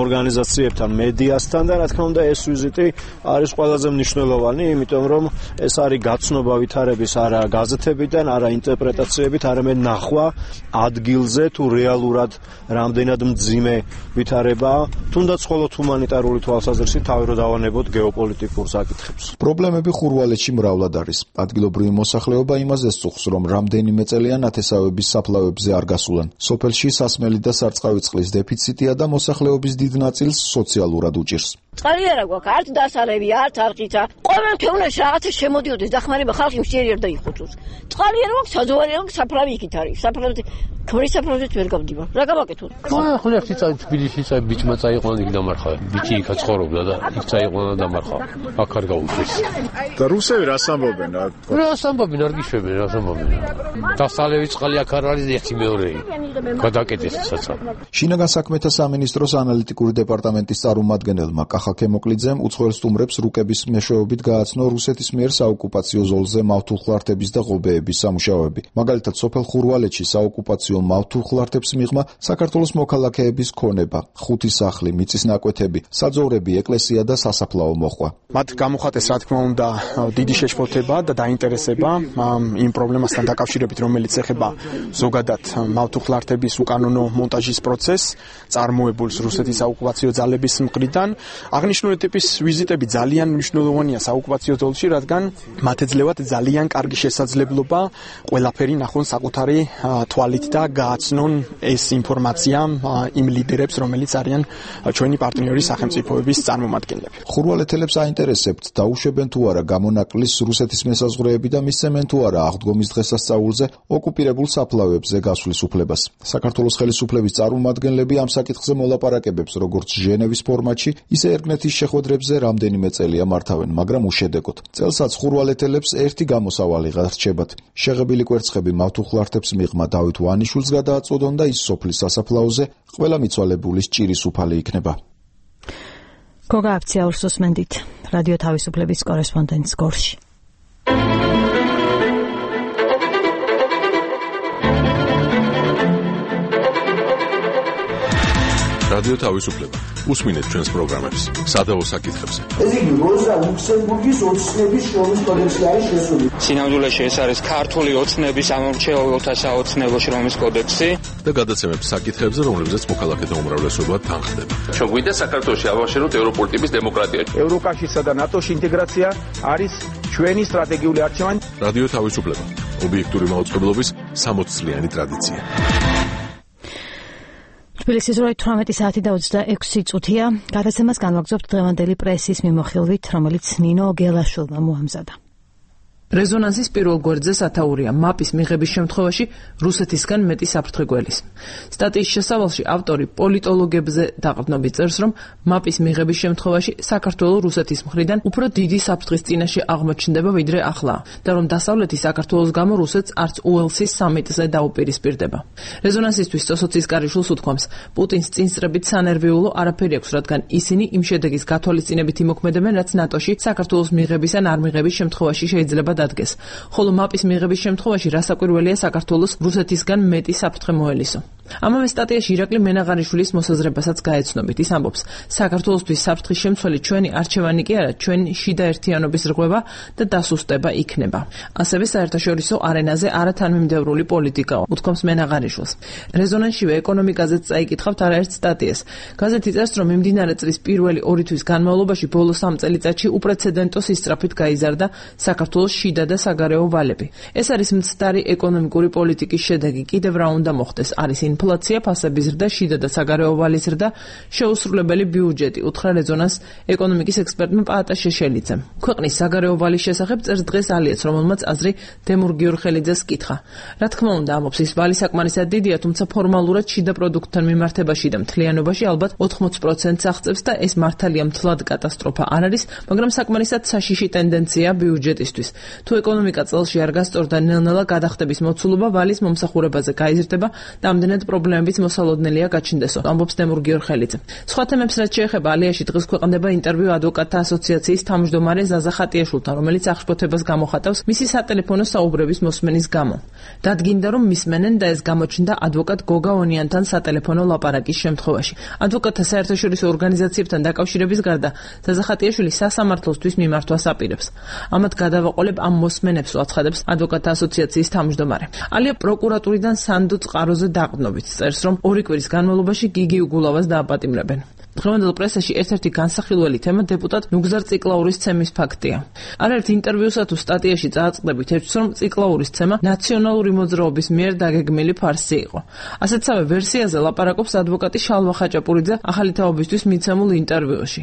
ორგანიზაციებთან, მედიასთან და რა თქმა უნდა ეს ვიზიტი არის ყველაზე მნიშვნელოვანი, იმიტომ რომ ეს არის გაცნობა ვითარების არა გაზეთებიდან, არა ინტერპრეტაციებით, არამედ ნახვა ადგილზე თუ რეალურად რამდენად მძიმე ვითარებაა, თუნდაც მხოლოდ ჰუმანიტარული თვალსაზრისით თავი რო დავანებოთ გეოპოლიტიკურ საკითხებს. პრობლემები ხურვალეთში მრავლად არის. ადგილობრივი მოსახლეობა იმაზე სწუხს, რომ რამდენიმე წელია ნათესავების საფლავებზე არ გასულან. სოფელში სასმელი და სარწყავი წყლის დეფიციტია და მოსახლეობის დიდ ნაწილს სოციალურად უჭირს. წყალი არა გვაქვს, არც დასალები, არც არყიცა. ყოველ თევნაში რაღაცა შემოდიოდეს, დახმარება ხალხი მშიერი არ დაიხუწოს. წყალი არა გვაქვს, საძოვარი არა გვაქვს, საფლავი იქით არის. საფლავზე ქმრისაფრთხეც ვერ გავდივარ. რა გავაკეთოთ? ახლა ერთი წელი თბილისში ბიჭმა წაიყვანა იქ დამარხა. ბიჭი იქ ცხოვრობდა და იქ წაიყვანა დამარხა. აქ არ გაუწეს. და რუსები რას ამბობენ? რას ამბობენ, არ გიშვებენ, რას ამბობენ. დასალევი წყალი აქ არ არის ერთი მეორეი. გადაკეტეს საცა. შინაგან საქმეთა სამინისტროს ანალიტიკური დეპარტამენტის წარმომადგენელმა კახა ქემოკლიძემ უცხოელ სტუმრებს რუკების მეშვეობით გააცნო რუსეთის მიერ საოკუპაციო ზოლზე მავთულხლართების და ღობეების სამუშაოები. მაგალითად, სოფელ ხურვალეთში საოკუპაციო მავთულხლართებს მიღმა საქართველოს მოქალაქეების ქონება, ხუთი სახლი, მიწის ნაკვეთები, საძოვრები, ეკლესია და სასაფლაო მოხვა. მათ გამოხატეს, რა თქმა უნდა, დიდი შეშფოთება და დაინტერესება იმ პრობლემასთან დაკავშირებით, რომელიც ეხება ზოგადად მავთულხლართების უკანონო მონტაჟის პროცესს, წარმოებულს რუსეთის საოკუპაციო ძალების მხრიდან. აღნიშნული ტიპის ვიზიტები ძალიან მნიშვნელოვანია საოკუპაციო ზოლში, რადგან მათ ეძლევათ ძალიან კარგი შესაძლებლობა ყველაფერი ნახონ საკუთარი თვალით და გააცნონ ეს ინფორმაცია იმ ლიდერებს, რომელიც არიან ჩვენი პარტნიორი სახელმწიფოების წარმომადგენლები. ხურვალეთელებს აინტერესებთ, დაუშვებენ თუ არა გამონაკლისს რუსეთის მესაზღვრეები და მისცემენ თუ არა აღდგომის დღესასწაულზე ოკუპირებულ საფლავებზე გასვლის უფლებას. საქართველოს ხელისუფლების წარმომადგენლები ამ საკითხზე მოლაპარაკებებს როგორც ჟენევის ფორმატში, ისე ერგნეთის შეხვედრებზე რამდენიმე წელია მართავენ, მაგრამ უშედეგოდ. წელსაც ხურვალეთელებს ერთი გამოსავალი ღარჩებათ. შეღებილი კვერცხები მავთულხლართებს მიღმა დავით ვანიშვილს გადააწოდონ და ის სოფლის სასაფლაოზე ყველა მიცვალებულის ჭირის უფალი იქნება. გოგა აფციაურს უსმენდით რადიო თავისუფლების კორესპონდენტს გორში. რადიო თავისუფლება. უსმინეთ ჩვენს პროგრამებს, სადავო საკითხებზე. ეს იგი როზა ლუქსემბურგის ოცნების შრომის კოდექსი არის შესული. სინამდვილეში ეს არის ქართული ოცნების ამორჩეულთა საოცნებო შრომის კოდექსი და გადაცემებს საკითხებზე, რომლებზეც მოქალაქეთა უმრავლესობა თანხდება. ჩვენ გვინდა საქართველოში ავაშენოთ ევროპული ტიპის დემოკრატია. ევროკავშირსა და ნატოში ინტეგრაცია არის ჩვენი სტრატეგიული არჩევანი. რადიო თავისუფლება. ობიექტური მაუწყებლობის 60 წლიანი ტრადიცია. თბილისის 18 საათი და 26 წუთია. გადაცემას განვაგრძობთ დღევანდელი პრესის მიმოხილვით, რომელიც ნინო გელაშვილმა მოამზადა. რეზონანსის პირველ გვერდზე სათაურია მაპის მიღების შემთხვევაში რუსეთისგან მეტი საფრთხე გველის. სტატიის შესავალში ავტორი პოლიტოლოგებზე დაყრდნობით წერს, რომ მაპის მიღების შემთხვევაში საქართველოს რუსეთის მხრიდან უფრო დიდი საფრთხის წინაშე აღმოჩნდება ვიდრე ახლა და რომ დასავლეთი საქართველოს გამო რუსეთს არც უელსის სამიტზე დაუპირისპირდება. რეზონანსისთვის სოსოცის კარიშვილს უთქვამს, პუტინს წინსწრებით სანერვიულო არაფერი აქვს, რადგან ისინი იმ შედეგის გათვალისწინებით იმოქმედებენ, რაც ნატოში საქართველოს მიღების ან არ მიღების შემთხვევაში შეიძლება დადგეს. ხოლო მაპის მიღების შემთხვევაში რასაკვირველია საქართველოს რუსეთისგან მეტი საფრთხე მოელისო. ამავე სტატიაში ირაკლი მენაღარიშვილის მოსაზრებასაც გაეცნობით. ის ამბობს, საქართველოსთვის საფრთხის შემცველი ჩვენი არჩევანი კი არა, ჩვენი შიდა ერთიანობის რღვევა და დასუსტება იქნება. ასევე საერთაშორისო არენაზე არათანმიმდევრული პოლიტიკაო, უთქვამს მენაღარიშვილს. რეზონანსშივე ეკონომიკაზეც წაიკითხავთ არაერთ სტატიას. გაზეთი წერს, რომ მიმდინარე წლის პირველი 2 თვის განმავლობაში ბოლო 3 წელიწადში უპრეცედენტო სისწრაფით გაიზარდა საქართველოს შიდა და საგარეო ვალები. ეს არის მცდარი ეკონომიკური პოლიტიკის შედეგი. კიდევ რა უნდა მოხდეს? არის ინფლაცია, ფასების ზრდა, შიდა და საგარეო ვალის ზრდა, შეუსრულებელი ბიუჯეტი, უთხრა რეზონანს ეკონომიკის ექსპერტმა პაატა შეშელიძემ. ქვეყნის საგარეო ვალის შესახებ წერს დღეს ალიეც, რომელმაც აზრი დემურ გიორხელიძეს კითხა. რა თქმა უნდა, ამბობს, ის ვალი საკმარისად დიდია, თუმცა ფორმალურად შიდა პროდუქტთან მიმართებაში და მთლიანობაში ალბათ 80%-ს აღწევს და ეს მართალია მთლად კატასტროფა არ არის, მაგრამ საკმარისად საშიში ტენდენცია ბიუჯეტისთვის. თუ ეკონომიკა წელში არ გასწორდა ნელ-ნელა გადახდების მოცულობა ვალის მომსახურებაზე გაიზრდება და ამდენად პრობლემებიც მოსალოდნელია გაჩნდესო, ამბობს დემურ გიორხელიძე. სხვა თემებს რაც შეეხება, ალიაში დღეს ქვეყნდება ინტერვიუ ადვოკატთა ასოციაციის თავმჯდომარე ზაზა ხატიაშვილთან, რომელიც აღშფოთებას გამოხატავს მისი სატელეფონო საუბრების მოსმენის გამო. დადგინდა, რომ მისმენენ და ეს გამოჩნდა ადვოკატ გოგა ონიანთან სატელეფონო ლაპარაკის შემთხვევაში. ადვოკატთა საერთაშორისო ორგანიზაციებთან დაკავშირების გარდა ზაზა ხატიაშვილი სასამართლოსთვის მიმართვას აპირებს. ამათ გადავაყოლებ ამ მოსმენებს უაცხადებს ადვოკატთა ასოციაციის თავმჯდომარე. ალია პროკურატურიდან სანდო წყაროზე დაყრდნობით წერს, რომ 2 კვირის განმავლობაში გიგი უგულავას დააპატიმრებენ. დღევანდელ პრესაში ერთ-ერთი განსახილველი თემა დეპუტატ ნუგზარ ციკლაურის ცემის ფაქტია. არაერთ ინტერვიუსა თუ სტატიაში წააწყდებით ეჭვს, რომ ციკლაურის ცემა ნაციონალური მოძრაობის მიერ დაგეგმილი ფარსი იყო. ასეთსავე ვერსიაზე ლაპარაკობს ადვოკატი შალვა ხაჭაპურიძე ახალი თაობისთვის მიცემულ ინტერვიუში.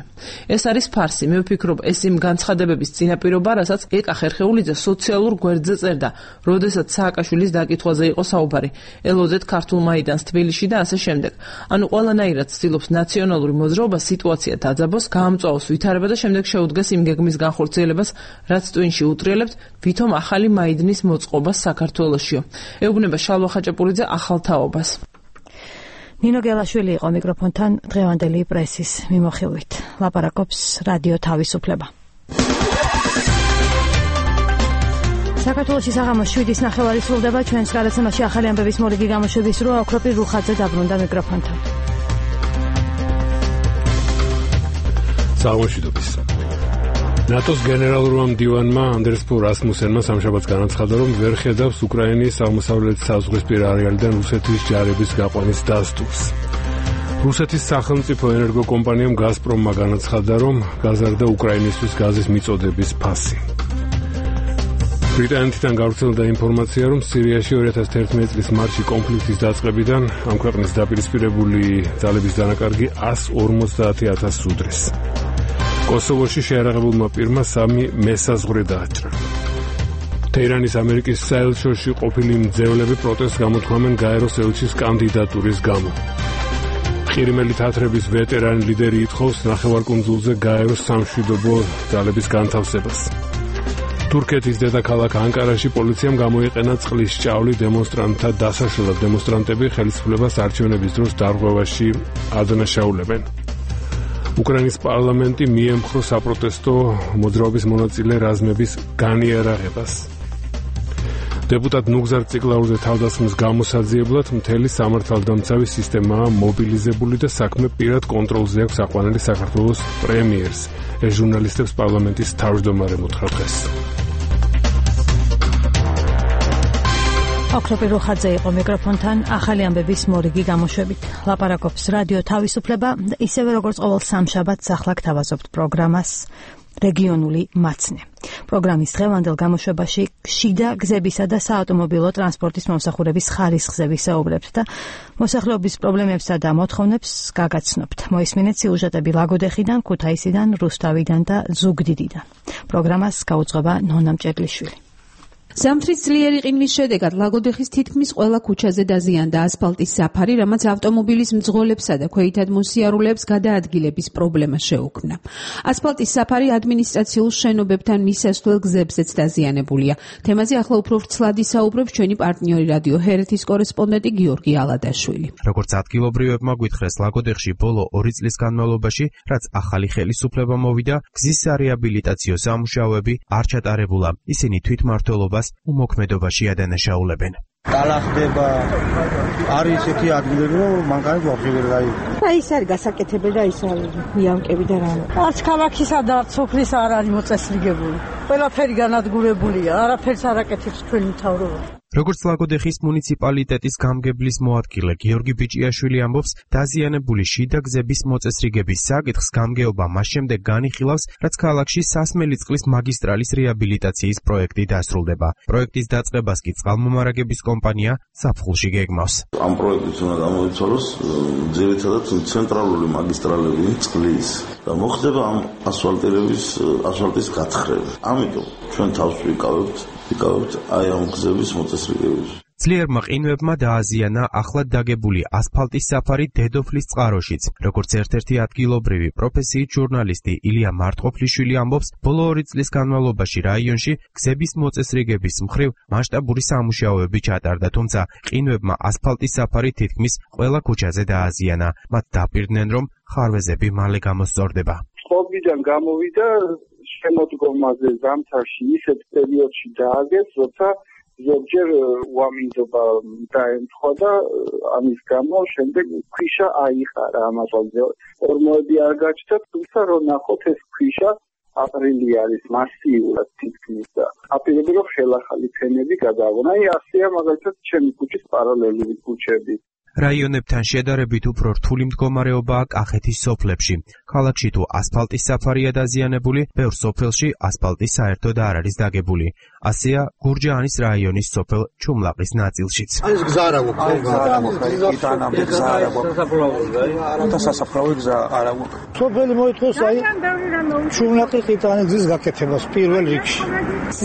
ეს არის ფარსი, მე ვფიქრობ, ეს იმ განცხადებების წინაპირობა, რასაც ეკა ხერხეულიძე სოციალურ გვერდზე წერდა, როდესაც სააკაშვილის დაკითხვაზე იყო საუბარი. ელოდეთ ქართულ მაიდანს თბილისში და ასე შემდეგ. ანუ ყველანაირად ცდილობს ნაციონალური მოძრაობა სიტუაცია დაძაბოს, გაამწვავოს ვითარება და შემდეგ შეუდგეს იმ გეგმის განხორციელებას, რაც ტვინში უტრიალებთ ვითომ ახალი მაიდნის მოწყობას საქართველოსშიო. ეუბნება შალვა ხაჭაპურიძე ახალ თაობას. ნინო გელაშვილი იყო მიკროფონთან დღევანდელი პრესის მიმოხილვით. ლაპარაკობს რადიო თავისუფლება. საქართველოში საღამოს 7:09 სრულდება. ჩვენს გადაცემაში ახალი ამბების მორიგი გამოშვების დრო. ოქროპირ რუხაძე დაბრუნდა მიკროფონთან. საღამოშიდობის. ნატოს გენერალურმა მდივანმა ანდერს ფო რასმუსენმა სამშაბათს განაცხადა, რომ ვერ ხედავს უკრაინის აღმოსავლეთ საზღვრისპირა არეალიდან რუსეთის ჯარების გაყვანის დასტურს. რუსეთის სახელმწიფო ენერგოკომპანიამ გაზპრომმა განაცხადა, რომ გაზარდა უკრაინისთვის გაზის მიწოდების ფასი. ბრიტანეთიდან გავრცელდა ინფორმაცია, რომ სირიაში 2011 წლის მარტში კონფლიქტის დაწყებიდან ამ ქვეყნის დაპირისპირებული ძალების დანაკარგი 150,000 უდრის. კოსოვოში შეერაღებულმა პირმა 3 მესაზღვრე დააჭრა. თეირანის ამერიკის საელჩოში ყოფილი მძევლები პროტესტს გამოთქვამენ გაეროს ელჩის კანდიდატურის გამო. ყირიმელი თათრების ვეტერანი ლიდერი ითხოვს ნახევარკუნძულზე გაეროს სამშვიდობო ძალების განთავსებას. თურქეთის დედაქალაქ ანკარაში პოლიციამ გამოიყენა წყლის ჭავლი დემონსტრანტთა დასაშლელად. დემონსტრანტები ხელისუფლებას არჩევნების დროს დარღვევაში ადანაშაულებენ. უკრაინის პარლამენტი მიემხრო საპროტესტო მოძრაობის მონაწილე რაზმების განიარაღებას. დეპუტატ ნუგზარ ციკლაურზე თავდასხმის გამოსაძიებლად მთელი სამართალდამცავი სისტემაა მობილიზებული და საქმე პირად კონტროლზე აქვს აყვანილი საქართველოს პრემიერს. ეს ჟურნალისტებს პარლამენტის თავმჯდომარე უთხრა დღეს. ოქროპირ რუხაძე იყო მიკროფონთან ახალი ამბების მორიგი გამოშვებით. ლაპარაკობს რადიო თავისუფლება და ისევე როგორც ყოველ სამშაბათს ახლა გთავაზობთ პროგრამას რეგიონული მაცნე. პროგრამის დღევანდელ გამოშვებაში შიდა გზებისა და საავტომობილო ტრანსპორტის მომსახურების ხარისხზე ვისაუბრებთ და მოსახლეობის პრობლემებსა და მოთხოვნებს გაგაცნობთ. მოისმინეთ სიუჟეტები ლაგოდეხიდან, ქუთაისიდან, რუსთავიდან და ზუგდიდიდან. პროგრამას გაუძღვება ნონა მჭედლიშვილი. ზამთრის ძლიერი ყინვის შედეგად ლაგოდეხის თითქმის ყველა ქუჩაზე დაზიანდა ასფალტის საფარი, რამაც ავტომობილის მძღოლებსა და ქვეითად მოსიარულეებს გადაადგილების პრობლემა შეუქმნა. ასფალტის საფარი ადმინისტრაციულ შენობებთან მისასვლელ გზებზეც დაზიანებულია. თემაზე ახლა უფრო ვრცლად ისაუბრებს ჩვენი პარტნიორი რადიო ჰერეთის კორესპონდენტი გიორგი ალადაშვილი. როგორც ადგილობრივებმა გვითხრეს, ლაგოდეხში ბოლო 2 წლის განმავლობაში, რაც ახალი ხელისუფლება მოვიდა, გზის სარეაბილიტაციო სამუშაოები არ ჩატარებულა. ისინი თვითმმართველობას უმოქმედობაში ადანაშაულებენ. ტალახდება არის ესეთი ადგილები, რომ მანქანით ვაფშე ვერ გაიგო. ის არის გასაკეთებელი და ის არის იამკები და რა. არც ქალაქისა და არც სოფლის არ არის მოწესრიგებული. ყველაფერი განადგურებულია, არაფერს არ აკეთებს ჩვენი მთავრობა. როგორც ლაგოდეხის მუნიციპალიტეტის გამგებლის მოადგილე გიორგი ბიჭიაშვილი ამბობს, დაზიანებული შიდა გზების მოწესრიგების საკითხს გამგეობა მას შემდეგ განიხილავს, რაც ქალაქში სასმელი წყლის მაგისტრალის რეაბილიტაციის პროექტი დასრულდება. პროექტის დაწყებას კი წყალმომარაგების კომპანია საფხულში გეგმავს. ამ პროექტით უნდა გამოიცვალოს ძირითადად ცენტრალური მაგისტრალები წყლის და მოხდება ამ ასფალტის გათხრება. ამიტომ ჩვენ თავს ვიკავებთ აი ამ გზების მოწესრიგებას. ძლიერმა ყინვებმა დააზიანა ახლად დაგებული ასფალტის საფარი დედოფლის წყაროშიც. როგორც ერთ-ერთი ადგილობრივი პროფესიით ჟურნალისტი ილია მარტყოფლიშვილი ამბობს, ბოლო 2 წლის განმავლობაში რაიონში გზების მოწესრიგების მხრივ მასშტაბური სამუშაოები ჩატარდა, თუმცა ყინვებმა ასფალტის საფარი თითქმის ყველა ქუჩაზე დააზიანა. მათ დაპირდნენ, რომ ხარვეზები მალე გამოსწორდება. წყობიდან გამოვიდა შემოდგომაზე ზამთარში ისეთ პერიოდში დააგეს, როცა ზოგჯერ უამინდობა დაემთხვა და ამის გამო შემდეგ ქვიშა აიყარა ამ ასფალტზე. ორმოები არ გაჩნდა, თუმცა რომ ნახოთ ეს ქვიშა აპრილი არის მასიურად თითქმის და აპირები რომ ხელახალი ფენები გადააგონა. აი ასეა მაგალითად ჩემი ქუჩის პარალელური ქუჩები. რაიონებთან შედარებით უფრო რთული მდგომარეობაა კახეთის სოფლებში. ქალაქში თუ ასფალტის საფარია დაზიანებული, ბევრ სოფელში ასფალტი საერთოდ არ არის დაგებული. ასეა გურჯაანის რაიონის სოფელ ჩუმლაყის ნაწილშიც. ეს გზა არა გვაქვს. სასაფლაო გზა არა გვაქვს. სოფელი მოითხოვს აი ჩუმლაყის იტანის გზის გაკეთებას პირველ რიგში.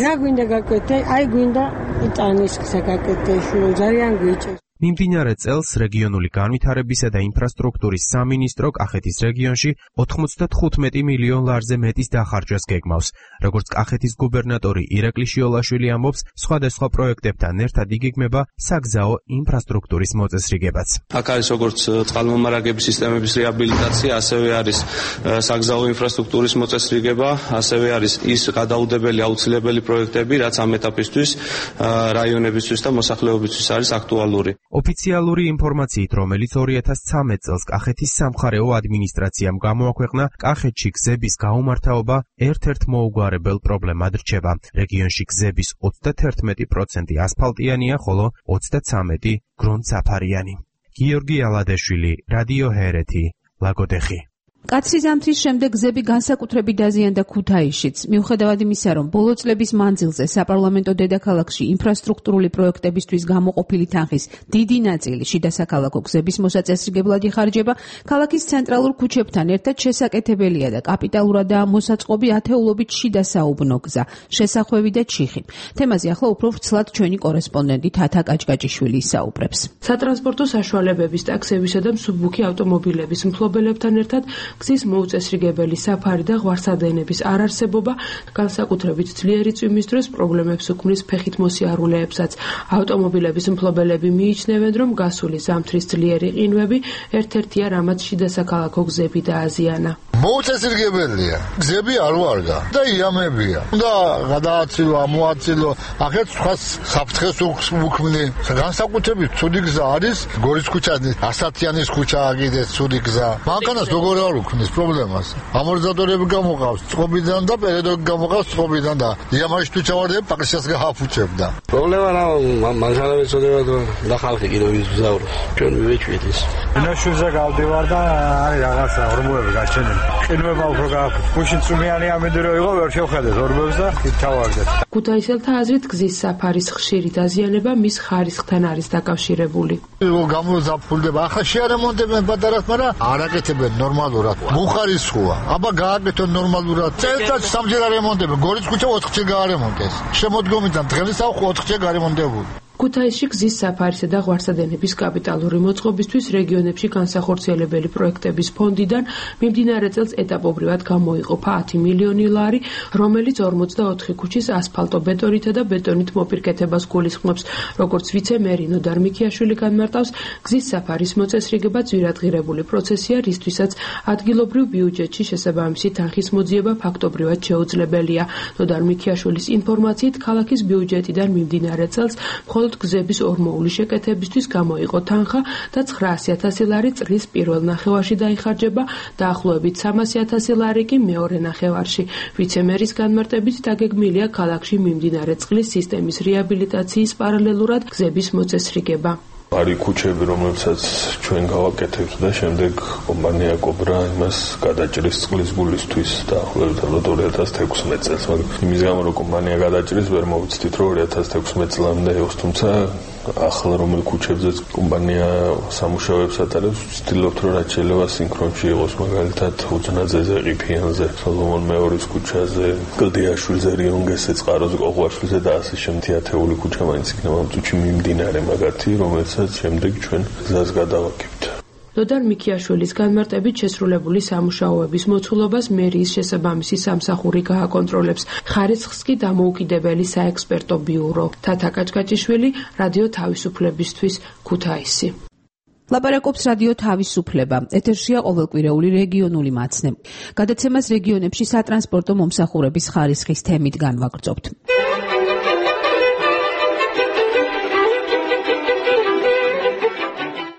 რა გვინდა გაკეთე? აი გვინდა იტანის გზა გაკეთე, ძალიან გვიჭირს. მიმდინარე წელს რეგიონული განვითარებისა და ინფრასტრუქტურის სამინისტრო კახეთის რეგიონში 95 მილიონ ლარზე მეტის დახარჯვას გეგმავს. როგორც კახეთის გუბერნატორი ირაკლი შიოლაშვილი ამბობს, სხვადასხვა პროექტებთან ერთად იგეგმება საგზაო ინფრასტრუქტურის მოწესრიგებაც. აქ არის როგორც წყალმომარაგების სისტემების რეაბილიტაცია, ასევე არის საგზაო ინფრასტრუქტურის მოწესრიგება, ასევე არის ის გადაუდებელი აუცილებელი პროექტები, რაც ამ ეტაპისთვის რაიონებისთვის და მოსახლეობისთვის არის აქტუალური. ოფიციალური ინფორმაციით, რომელიც 2013 წელს კახეთის სამხარეო ადმინისტრაციამ გამოაქვეყნა, კახეთში გზების გაუმართავობა ერთ-ერთ მოუგვარებელ პრობლემად რჩება. რეგიონში გზების 31% ასფალტიანია, ხოლო 33% გრუნტსაფარიანი. გიორგი ალადეშვილი, რადიო ჰერეთი, ლაგოდეხი. კაცრი ზამთრის შემდეგ გზები განსაკუთრებით დაზიანდა ქუთაისშიც. მიუხედავად იმისა, რომ ბოლო წლების მანძილზე საპარლამენტო დედაქალაქში ინფრასტრუქტურული პროექტებისთვის გამოყოფილი თანხის დიდი ნაწილი შიდა საქალაქო გზების მოსაწესრიგებლად იხარჯება, ქალაქის ცენტრალურ ქუჩებთან ერთად შესაკეთებელია და კაპიტალურადაა მოსაწყობი ათეულობით შიდა საუბნო გზა, შესახვევი და ჩიხი. თემაზე ახლა უფრო ვრცლად ჩვენი კორესპონდენტი თათა კაჭკაჭიშვილი ისაუბრებს. სატრანსპორტო საშუალებების, ტაქსებისა და მსუბუქი ავტომობილების მფლობელებთან ერთად გზის მოუწესრიგებელი საფარი და ღვარსადენების არარსებობა განსაკუთრებით ძლიერი წვიმის დროს პრობლემებს უქმნის ფეხით მოსიარულეებსაც. ავტომობილების მფლობელები მიიჩნევენ, რომ გასული ზამთრის ძლიერი ყინვები ერთ-ერთია, რამაც შიდა საქალაქო გზები დააზიანა. მოუწესრიგებელია, გზები არ ვარგა და იამებია. უნდა გადააცილო, ამოაცილო, ახეთ სხვა საფრთხეს უქმნი. განსაკუთრებით ცუდი გზა არის გორის ქუჩა, ასათიანის ქუჩა აგიდეს ცუდი გზა. მანქანას როგორ არ უქმნის პრობლემას. ამორტიზატორები გამოყავს წყობიდან და პერედოგი გამოყავს წყობიდან და იამაში თუ ჩავარდები პაკისას გააფუჭებდა. პრობლემა რა მანქანები წოდება და ხალხი კიდევ ვიზაურობს. ჩვენ მივეჭვით ის. ნაშუზე გავდივარ და არის რაღაცა ორმოები გაჩენილი. ყინვება უფრო გააფუჭ. გუშინ წვიმიანი ამინდირო იყო, ვერ შევხედეთ ორმოებს და ჩავარდეთ. ქუთაისელთა აზრით გზის საფარის ხშირი დაზიანება მის ხარისხთან არის დაკავშირებული. გამოზაფხულდება. ახლა შეარემონტებენ პატარას, მაგრამ არ აკეთებენ ნორმალურად. მუხარისხოა. აბა გააკეთონ ნორმალურად. წელიწადში სამჯერ არემონტებენ. გორის ქუჩა 4-ჯერ გაარემონტეს. შემოდგომიდან დღესაო 4-ჯერ გარემონტებული. ქუთაისში გზის საფარისა და ღვარსადენების კაპიტალური მოწყობისთვის რეგიონებში განსახორციელებელი პროექტების ფონდიდან მიმდინარე წელს ეტაპობრივად გამოიყოფა 10 მილიონი ლარი, რომელიც 44 ქუჩის ასფალტო-ბეტონითა და ბეტონით მოპირკეთებას გულისხმობს. როგორც ვიცე-მერი ნოდარ მიქიაშვილი განმარტავს, გზის საფარის მოწესრიგება ძვირადღირებული პროცესია, რისთვისაც ადგილობრივ ბიუჯეტში შესაბამისი თანხის მოძიება ფაქტობრივად შეუძლებელია. ნოდარ მიქიაშვილის ინფორმაციით, ქალაქის ბიუჯეტიდან მიმდინარე წელს მხოლოდ გზების ორმოული შეკეთებისთვის გამოიყო თანხა და 900.000 ლარი წლის პირველ ნახევარში დაიხარჯება, დაახლოებით 300.000 ლარი კი მეორე ნახევარში. ვიცე-მერის განმარტებით დაგეგმილია ქალაქში მიმდინარე წყლის სისტემის რეაბილიტაციის პარალელურად გზების მოწესრიგება. არის ქუჩები, რომლებსაც ჩვენ გავაკეთებთ და შემდეგ კომპანია კობრა იმას გადაჭრის წყლის გულისთვის დაახლოებით 2016 წელს, მაგრამ იმის გამო რომ კომპანია გადაჭრის, ვერ მოვიცდით რომ 2016 წლამდე იყოს, თუმცა ახლა რომელ ქუჩებზეც კომპანია სამუშაოებს ატარებს, ვცდილობთ რომ რაც შეიძლება სინქრონში იყოს, მაგალითად უძნაძეზე, ყიფიანზე, სოლომონ მეორის ქუჩაზე, კლდიაშვილზე, რიონგესზე, წყაროზე, ყოღვაშვილზე და ასე შემდეგ. ათეული ქუჩა მაინც იქნება ამ წუთში მიმდინარე მაგათი, რომელსაც შემდეგ ჩვენ გზას გადავაკეთებთ. ნოდარ მიქიაშვილის განმარტებით შესრულებული სამუშაოების მოცულობას მერიის შესაბამისი სამსახური გააკონტროლებს. ხარისხს კი დამოუკიდებელი საექსპერტო ბიურო. თათა კაჭკაჭიშვილი, რადიო თავისუფლებისთვის, ქუთაისი. ლაპარაკობს რადიო თავისუფლება. ეთერშია ყოველკვირეული რეგიონული მაცნე. გადაცემას რეგიონებში სატრანსპორტო მომსახურების ხარისხის თემით განვაგრძობთ.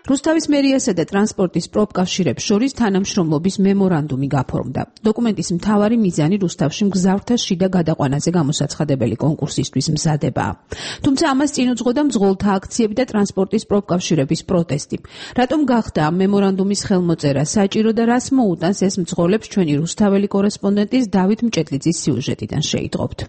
რუსთავის მერიასა და ტრანსპორტის პროფკავშირებს შორის თანამშრომლობის მემორანდუმი გაფორმდა. დოკუმენტის მთავარი მიზანი რუსთავში მგზავრთა შიდა გადაყვანაზე გამოსაცხადებელი კონკურსისთვის მზადებაა. თუმცა ამას წინ უძღოდა მძღოლთა აქციები და ტრანსპორტის პროფკავშირების პროტესტი. რატომ გახდა ამ მემორანდუმის ხელმოწერა საჭირო და რას მოუტანს ეს მძღოლებს ჩვენი რუსთაველი კორესპონდენტის დავით მჭედლიძის სიუჟეტიდან შეიტყობთ.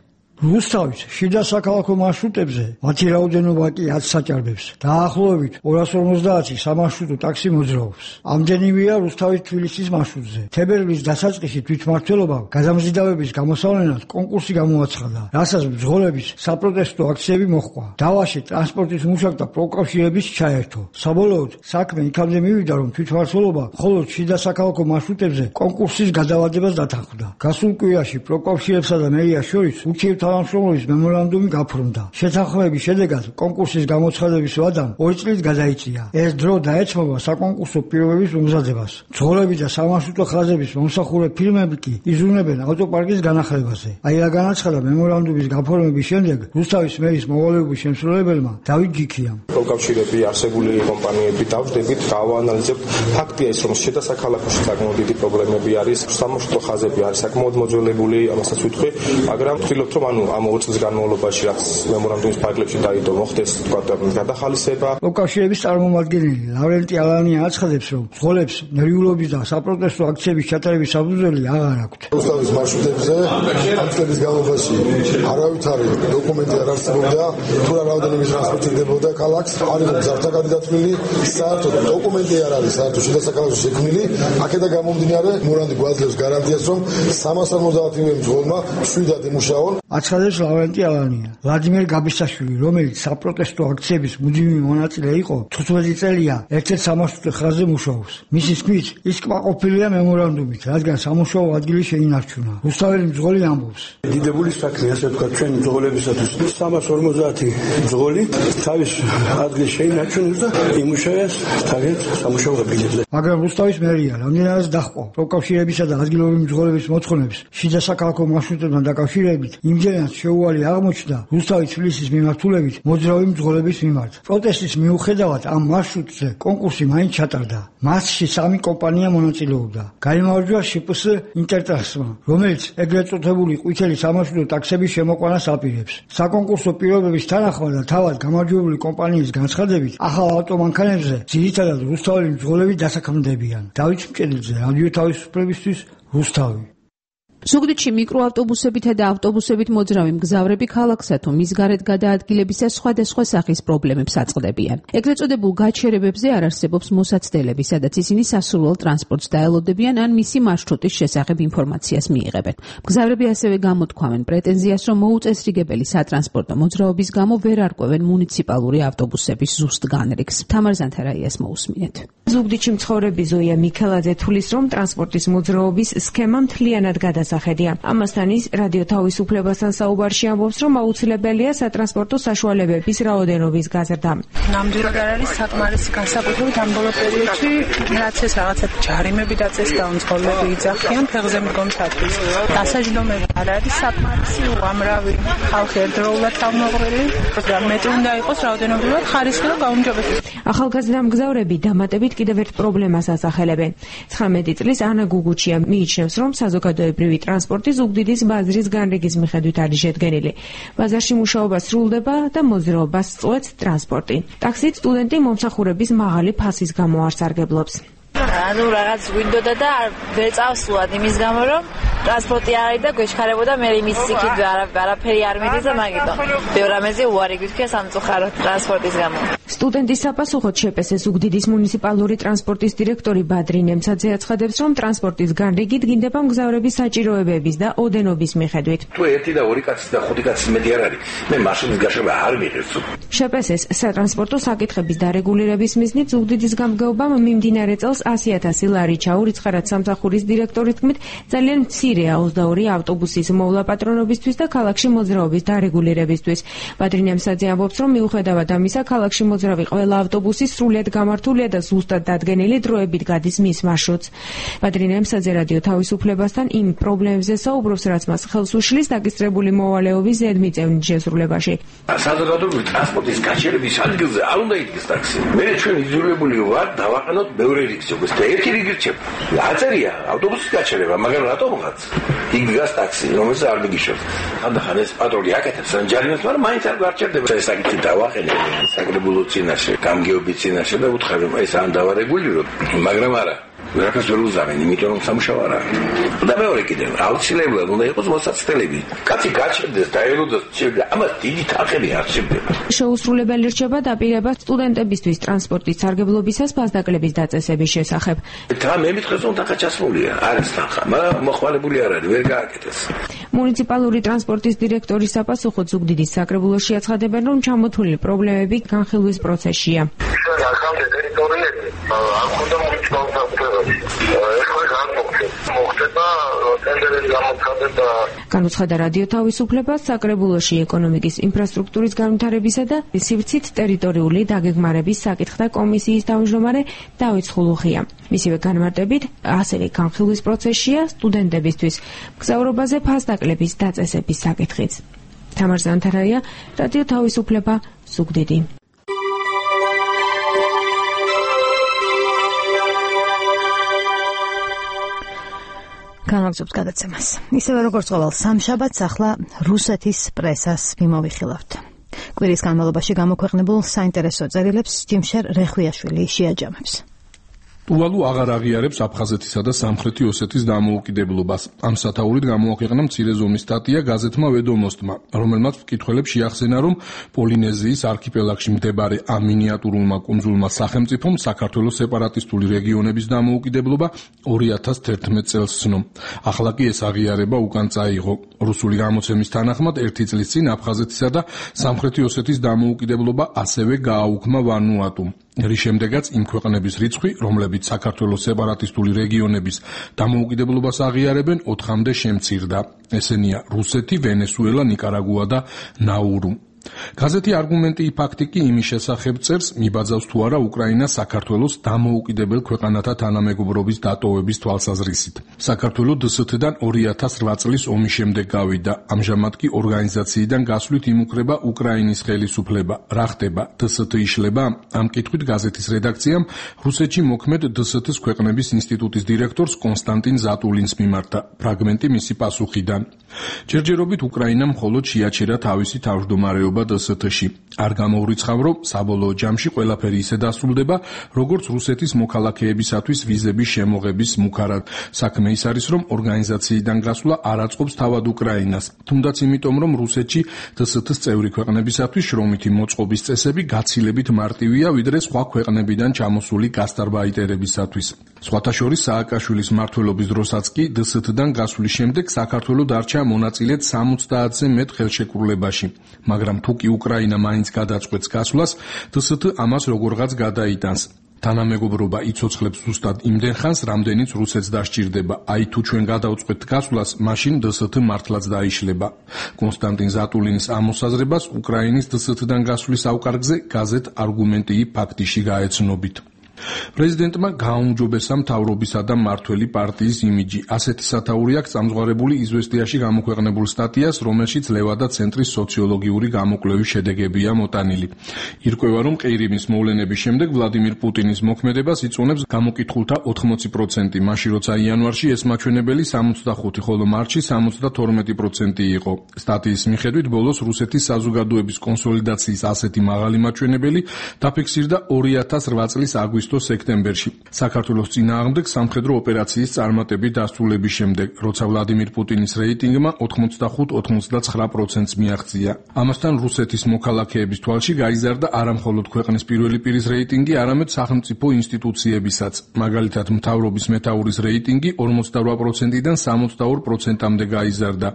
რუსთავის შიდა საქალაქო მარშრუტებზე მათი რაოდენობა კი 10 საჭარბებს. დაახლოებით 250 სამარშრუტო ტაქსი მოძრაობს. ამდენივეა რუსთავის თბილისის მარშრუტზე. თებერვლის დასაწყისში თვითმმართველობამ გადამზიდავების გამოსავლენად კონკურსი გამოაცხადა, რასაც მძღოლების საპროტესტო აქციები მოჰყვა. დავაში ტრანსპორტის მუშაკთა პროფკავშირების ჩაერთო. საბოლოოდ საქმე იქამდე მივიდა, რომ თვითმმართველობა მხოლოდ შიდა საქალაქო მარშრუტებზე კონკურსის გადავადებას დათანხმდა. გასულ კვირაში პროფკავშირებსა და მერიას შორის თანამშრომლობის მემორანდუმი გაფორმდა. შეთანხმების შედეგად კონკურსის გამოცხადების ვადამ 2 წლით გადაიწია. ეს დრო დაეცმობა საკონკურსო პირობების მომზადებას. მძღოლები და სამარშრუტო ხაზების მომსახურე ფირმები კი იზრუნებენ ავტოპარკის განახლებაზე. აი რა განაცხადა მემორანდუმის გაფორმების შემდეგ რუსთავის მერის მოვალეობის შემსრულებელმა დავით ჯიქიამ. პროფკავშირები არსებული კომპანიები დავждებით, გავაანალიზებთ. ფაქტია ის, რომ შიდა საქალაქოში საკმაოდ დიდი პრობლემები არის. სამარშრუტო ხაზები არის საკმაოდ მოძველებული, ამასაც ვიტყვი, მაგრამ ვთქვით, რომ ამ 2 წლის განმავლობაში რაც მემორანდუმის ფარგლებში დაიდო მოხდეს გადახალისება. პროფკავშირების წარმომადგენელი ლავრენტი ალანია აცხადებს, რომ მძღოლებს ნერვიულობის და საპროტესტო აქციების ჩატარების საფუძველი აღარ აქვთ. რუსთავის მარშრუტებზე ამ წლების განმავლობაში არავითარი დოკუმენტი არ არსებობდა, თუ რა რაოდენობის ტრანსპორტი დებოდა ქალაქს, არ იყო მგზავრთა გადადათვლილი, საერთოდ დოკუმენტი არ არის, საერთოდ შიდა საქალაქოში შექმნილი. აქედან გამომდინარე, მემორანდუმი გვაძლევს გარანტიას, რომ 350 მძღოლმა შვიდად იმუშაონ. აცხადებს ლავრენტი ალანია. ვლადიმერ გაბისაშვილი, რომელიც საპროტესტო აქციების მუდმივი მონაწილე იყო, 15 წელია ერთ-ერთ სამარშრუტო ხაზზე მუშაობს. მისი თქმით, ის კმაყოფილია მემორანდუმით, რადგან სამუშაო ადგილი შეინარჩუნა. რუსთაველი მძღოლი ამბობს: დიდებული საქმე, ასე ვთქვათ, ჩვენი მძღოლებისათვის 350 მძღოლი თავის ადგილს შეინარჩუნებს და იმუშავებს თავის სამუშაო ადგილებზე. მაგრამ რუსთავის მერია რამდენადაც დაჰყვა პროფკავშირებისა და ადგილობრივი მძღოლების მოთხოვნებს შიდა საქალაქო მარშრუტებთან დაკავშირებით, იმდენად შეუვალი აღმოჩნდა რუსთავის თბილისის მიმართულებით მოძრავი მძღოლების მიმართ. პროტესტის მიუხედავად ამ მარშრუტზე კონკურსი მაინც ჩატარდა. მასში 3 კომპანია მონაწილეობდა. გაიმარჯვა შპს ინტერტრანსმა, რომელიც ეგრეთ წოდებული ყვითელი სამარშრუტო ტაქსების შემოყვანას აპირებს. საკონკურსო პირობების თანახმად და თავად გამარჯვებული კომპანიის განცხადებით, ახალ ავტომანქანებზე ძირითადად რუსთაველი მძღოლები დასაქმდებიან. დავით მჭედლიძე, რადიო თავისუფლებისთვის, რუსთავი. ზუგდიდში მიკროავტობუსებითა და ავტობუსებით მოძრავი მგზავრები ქალაქსა თუ მის გარეთ გადაადგილებისას სხვადასხვა სახის პრობლემებს აწყდებიან. ეგრეთ წოდებულ გაჩერებებზე არ არსებობს მოსაცდელები, სადაც ისინი სასურველ ტრანსპორტს დაელოდებიან ან მისი მარშრუტის შესახებ ინფორმაციას მიიღებენ. მგზავრები ასევე გამოთქვამენ პრეტენზიას, რომ მოუწესრიგებელი სატრანსპორტო მოძრაობის გამო ვერ არკვევენ მუნიციპალური ავტობუსების ზუსტ განრიგს. თამარ ზანთარაიას მოусმინეთ. ზუგდიდში მცხოვრები ზოია მიქელაძე თulis, რომ ტრანსპორტის მოძრაობის სქემა მთლიანად გადასახედია. ამასთან ის რადიო თავისუფლებასთან საუბარში ამბობს, რომ აუცილებელია სატრანსპორტო საშუალებების რაოდენობის გაზრდა. ნამდვილად არ არის საკმარისი განსაკუთრებით ამ ბოლო პერიოდში, რაც ეს რაღაცა ჯარიმები დაწეს და მძღოლები იძახიან ფეხზე მდგომისათვის. დასაჯდომები არ არის საკმარისი, უამრავი ხალხი ერთდროულად თავმოყრილი, და მეტი უნდა იყოს რაოდენობრივად ხარისხი და გაუმჯობესება. ახალგაზრდა მგზავრები დამატებით კიდევ ერთ პრობლემას ასახელებენ. 19 წლის ანა გუგუჩია მიიჩნევს, რომ საზოგადოებრივი ტრანსპორტი ზუგდიდის ბაზრის განრიგის მიხედვით არის შედგენილი. ბაზარში მუშაობა სრულდება და მოძრაობას წყვეტს ტრანსპორტი. ტაქსით სტუდენტი მომსახურების მაღალი ფასის გამო არ სარგებლობს. ანუ რაღაც გვინდოდა და ვერ წავსულად იმის გამო, რომ ტრანსპორტი არ არის და გვეჩქარებოდა მე იმის იქით არაფერი არ მიდის და მაგიტომ ბევრ რამეზე უარი გითხრა სამწუხარო ტრანსპორტის გამო. სტუდენტის საპასუხოდ შპს ზუგდიდის მუნიციპალური ტრანსპორტის დირექტორი ბადრი ნემცაძე აცხადებს, რომ ტრანსპორტის განრიგი დგინდება მგზავრების საჭიროებების და ოდენობის მიხედვით. თუ 1 და 2 კაცი და 5 კაცი მეტი არ არის, მე მაშინის გაშობა არ მიღებს. შპს სატრანსპორტო საკითხების დარეგულირების მიზნით ზუგდიდის გამგეობამ მიმდინარე წელს 100.000 ლარი ჩაურიცხარად სამსახურის დირექტორის თქმით, ძალიან მცირე 22 ავტობუსის მოვლა პატრონობისთვის და ქალაქში მოძრაობის დარეგულირებისთვის. ბადრი ნემცაძე ამბობს, რომ მიუხედავად ამისა, ქალაქში შემოძრავი ყველა ავტობუსი სრულიად გამართულია და ზუსტად დადგენილი დროებით გადის მის მარშრუტს. ბადრინა ემსაძე რადიო თავისუფლებასთან იმ პრობლემებზე საუბრობს, რაც მას ხელს უშლის დაგისტრებული მოვალეობის ზედმიწევნით შესრულებაში. საზოგადოებრივი ტრანსპორტის გაჩერების ადგილზე არ უნდა იდგეს ტაქსი. მე ჩვენ იძულებული ვარ დავაყენოთ ბევრი რიგის და ერთი რიგი რჩება. აწერია ავტობუსის გაჩერება, მაგრამ რატომღაც იქ დგას ტაქსი, რომელსაც არ მიგიშოს. ხანდახან ეს პატრული აკეთებს ჯარიმას, მაგრამ მაინც არ გარჩევდება. ეს საკითხი დავაყენე საკრებულო წინაშე, გამგეობის წინაშე და უთხარი, ეს ან დავარეგულიროთ, მაგრამ არა. ვერაფერს ვერ უზავენ, იმიტომ რომ სამუშაო არა. და მეორე კიდევ, აუცილებლად უნდა იყოს მოსაცდელები. კაცი გაჩერდეს და ელოდეს შეიძლება, ამას დიდი თანხები არ შედება. შეუსრულებელი რჩება დაპირება სტუდენტებისთვის ტრანსპორტის სარგებლობისას ფასდაკლების დაწესების შესახებ. და მე მითხეს რომ თანხა ჩასმულია, არის თანხა, მაგრამ მოხვალებული არ არის, ვერ გააკეთეს. მუნიციპალური ტრანსპორტის დირექტორის საპასუხოდ ზუგდიდის საკრებულოში აცხადებენ, რომ ჩამოთვლილი პრობლემები განხილვის პროცესშია. ახალ ტერიტორიები არ ხონდა მოხდება ტენდერის გამოცხადება. განუცხადა რადიო თავისუფლებას საკრებულოში ეკონომიკის ინფრასტრუქტურის განვითარებისა და სივრცით ტერიტორიული დაგეგმარების საკითხთა კომისიის თავმჯდომარე დავით ხულუხია. მისივე განმარტებით, ასევე განხილვის პროცესშია სტუდენტებისთვის მგზავრობაზე ფასდაკლების დაწესების საკითხიც. თამარ ზანთარაია, რადიო თავისუფლება, ზუგდიდი. განაგზობს გადაცემას. ისევე როგორც ყოველ სამშაბათს ახლა რუსეთის პრესას მიმოვიხილავთ. კვირის განმავლობაში გამოქვეყნებულ საინტერესო წერილებს ჯიმშერ რეხვიაშვილი შეაჯამებს. ტუვალუ აღარ აღიარებს აფხაზეთისა და სამხრეთი ოსეთის დამოუკიდებლობას. ამ სათაურით გამოაქვეყნა მცირე ზომის სტატია გაზეთმა ვედომოსტმა, რომელმაც მკითხველებს შეახსენა, რომ პოლინეზიის არქიპელაგში მდებარე ამ მინიატურულმა კუნძულმა სახელმწიფომ საქართველოს სეპარატისტული რეგიონების დამოუკიდებლობა 2011 წელს ცნო. ახლა კი ეს აღიარება უკან წაიღო. რუსული გამოცემის თანახმად, ერთი წლის წინ აფხაზეთისა და სამხრეთი ოსეთის დამოუკიდებლობა ასევე გააუქმა ვანუატუმ. რის შემდეგაც იმ ქვეყნების რიცხვი, რომლებიც საქართველოს სეპარატისტული რეგიონების დამოუკიდებლობას აღიარებენ, 4-მდე შემცირდა. ესენია რუსეთი, ვენესუელა, ნიკარაგუა და ნაურუ. გაზეთი არგუმენტი ფაქტი კი იმის შესახებ წერს, მიბაძავს თუ არა უკრაინა საქართველოს დამოუკიდებელ ქვეყანათა თანამეგობრობის დატოვების თვალსაზრისით. საქართველო დსთ-დან 2008 წლის ომის შემდეგ გავიდა. ამჟამად კი ორგანიზაციიდან გასვლით იმუქრება უკრაინის ხელისუფლება. რა ხდება? დსთ იშლება? ამ კითხვით გაზეთის რედაქციამ რუსეთში მოქმედ დსთ-ს ქვეყნების ინსტიტუტის დირექტორს კონსტანტინ ზატულინს მიმართა. ფრაგმენტი მისი პასუხიდან. ჯერჯერობით უკრაინამ მხოლოდ შეაჩერა თავისი თავმჯდომარეობა დსთ-ში. არ გამოურიცხავ, რომ საბოლოო ჯამში ყველაფერი ისე დასრულდება, როგორც რუსეთის მოქალაქეებისათვის ვიზების შემოღების მუქარად. საქმე ის არის, რომ ორგანიზაციიდან გასვლა არ აწყობს თავად უკრაინას, თუნდაც იმიტომ, რომ რუსეთში დსთ-ს წევრი ქვეყნებისათვის შრომითი მოწყობის წესები გაცილებით მარტივია, ვიდრე სხვა ქვეყნებიდან ჩამოსული გასტარბაიტერებისათვის. სხვათა შორის სააკაშვილის მმართველობის დროსაც კი დსთ-დან გასვლის შემდეგ საქართველო დარჩა მონაწილედ 70-ზე მეტ ხელშეკრულებაში, მაგრამ თუ კი უკრაინა მაინც გადაწყვეტს გასვლას, დსთ ამას როგორღაც გადაიტანს. თანამეგობრობა იცოცხლებს ზუსტად იმდენ ხანს, რამდენიც რუსეთს დასჭირდება. აი თუ ჩვენ გადავწყვეტთ გასვლას, მაშინ დსთ მართლაც დაიშლება. კონსტანტინ ზატულინის ამ მოსაზრებას უკრაინის დსთ-დან გასვლის ავკარგზე გაზეთ არგუმენტი ფაქტიში გაეცნობით. პრეზიდენტმა გააუმჯობესა მთავრობისა და მმართველი პარტიის იმიჯი. ასეთი სათაური აქვს წამზღარებული იზვესტიაში გამოქვეყნებულ სტატიას, რომელშიც ლევადა ცენტრის სოციოლოგიური გამოკვლევის შედეგებია მოტანილი. ირკვევა, რომ ყირიმის მოვლენების შემდეგ ვლადიმირ პუტინის მოქმედებას იწონებს გამოკითხულთა 80%, მაშინ როცა იანვარში ეს მაჩვენებელი 65, ხოლო მარტში 72% იყო. სტატიის მიხედვით ბოლოს რუსეთის საზოგადოების კონსოლიდაციის ასეთი მაღალი მაჩვენებელი დაფიქსირდა 2008 წლის აგვისტოს სექტემბერში. საქართველოს წინააღმდეგ სამხედრო ოპერაციის წარმატებით დასრულების შემდეგ, როცა ვლადიმირ პუტინის რეიტინგმა 85-89%-ს მიაღწია. ამასთან რუსეთის მოქალაქეების თვალში გაიზარდა არამხოლოდ ქვეყნის პირველი პირის რეიტინგი, არამედ სახელმწიფო ინსტიტუციებისაც. მაგალითად, მთავრობის მეთაურის რეიტინგი 48%-დან 72%-მდე გაიზარდა.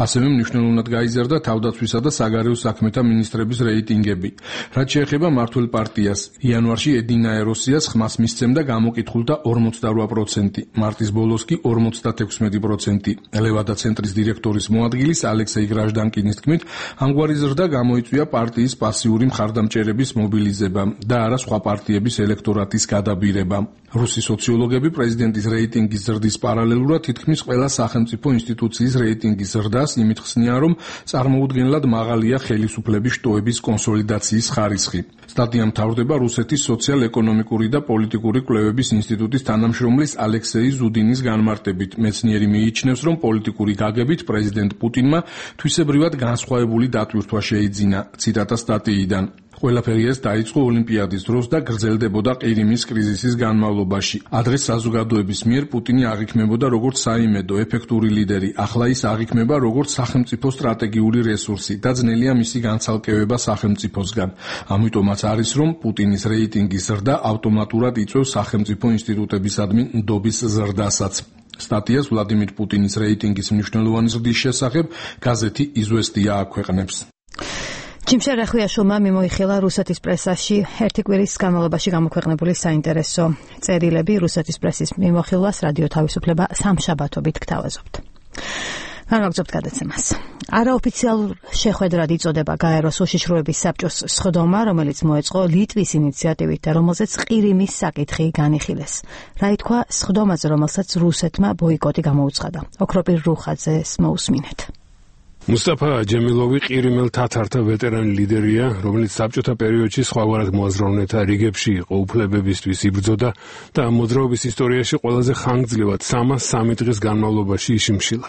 ასევე მნიშვნელოვნად გაიზარდა თავდაცვისა და საგარეო საქმეთა მინისტრების რეიტინგები. რაც შეეხება მმართველ პარტიას, იანვარში ედინა ეროსი ინფლაციას ხმას მისცემდა გამოკითხულთა 48%, მარტის ბოლოს კი 56%. ლევადა ცენტრის დირექტორის მოადგილის ალექსეი გრაჟდანკინის თქმით, ამგვარი ზრდა გამოიწვია პარტიის პასიური მხარდამჭერების მობილიზება და არა სხვა პარტიების ელექტორატის გადაბირება. რუსი სოციოლოგები პრეზიდენტის რეიტინგის ზრდის პარალელურად თითქმის ყველა სახელმწიფო ინსტიტუციის რეიტინგის ზრდას იმით ხსნიან, რომ წარმოუდგენლად მაღალია ხელისუფლების შტოების კონსოლიდაციის ხარისხი. სტატია მთავრდება რუსეთის სოციალ-ეკონომიკური და პოლიტიკური კვლევების ინსტიტუტის თანამშრომლის ალექსეი ზუდინის განმარტებით. მეცნიერი მიიჩნევს, რომ პოლიტიკური გაგებით პრეზიდენტ პუტინმა თვისებრივად განსხვავებული დატვირთვა შეიძინა. ციტატა სტატიიდან. ყველაფერი ეს დაიწყო ოლიმპიადის დროს და გრძელდებოდა ყირიმის კრიზისის განმავლობაში. ადრეს საზოგადოების მიერ პუტინი აღიქმებოდა როგორც საიმედო, ეფექტური ლიდერი, ახლა ის აღიქმება როგორც სახელმწიფო სტრატეგიული რესურსი და ძნელია მისი განცალკევება სახელმწიფოსგან. ამიტომაც არის, რომ პუტინის რეიტინგის ზრდა ავტომატურად იწვევს სახელმწიფო ინსტიტუტებისადმი ნდობის ზრდასაც. სტატიას ვლადიმირ პუტინის რეიტინგის მნიშვნელოვანი ზრდის შესახებ გაზეთი „იზვესტია“ აქვეყნებს. ჯიმშერ ახვიაშვილმა მიმოიხილა რუსეთის პრესაში ერთი კვირის განმავლობაში გამოქვეყნებული საინტერესო წერილები. რუსეთის პრესის მიმოხილვას რადიო თავისუფლება სამშაბათობით გთავაზობთ. განვაგრძობთ გადაცემას. არაოფიციალურ შეხვედრად იწოდება გაეროს უშიშროების საბჭოს სხდომა, რომელიც მოეწყო ლიტვის ინიციატივით და რომელზეც ყირიმის საკითხი განიხილეს. რა ითქვა სხდომაზე, რომელსაც რუსეთმა ბოიკოტი გამოუცხადა. ოქროპირ რუხაძეს მოусმინეთ. მუსტაფა ჯემილოვი ყირიმელ თათართა ვეტერანი ლიდერია, რომელიც საბჭოთა პერიოდში სხვაგვარად მოაზროვნეთა რიგებში იყო, უფლებებისთვის იბრძოდა და მოძრაობის ისტორიაში ყველაზე ხანგრძლივად 303 დღის განმავლობაში იშიმშილა.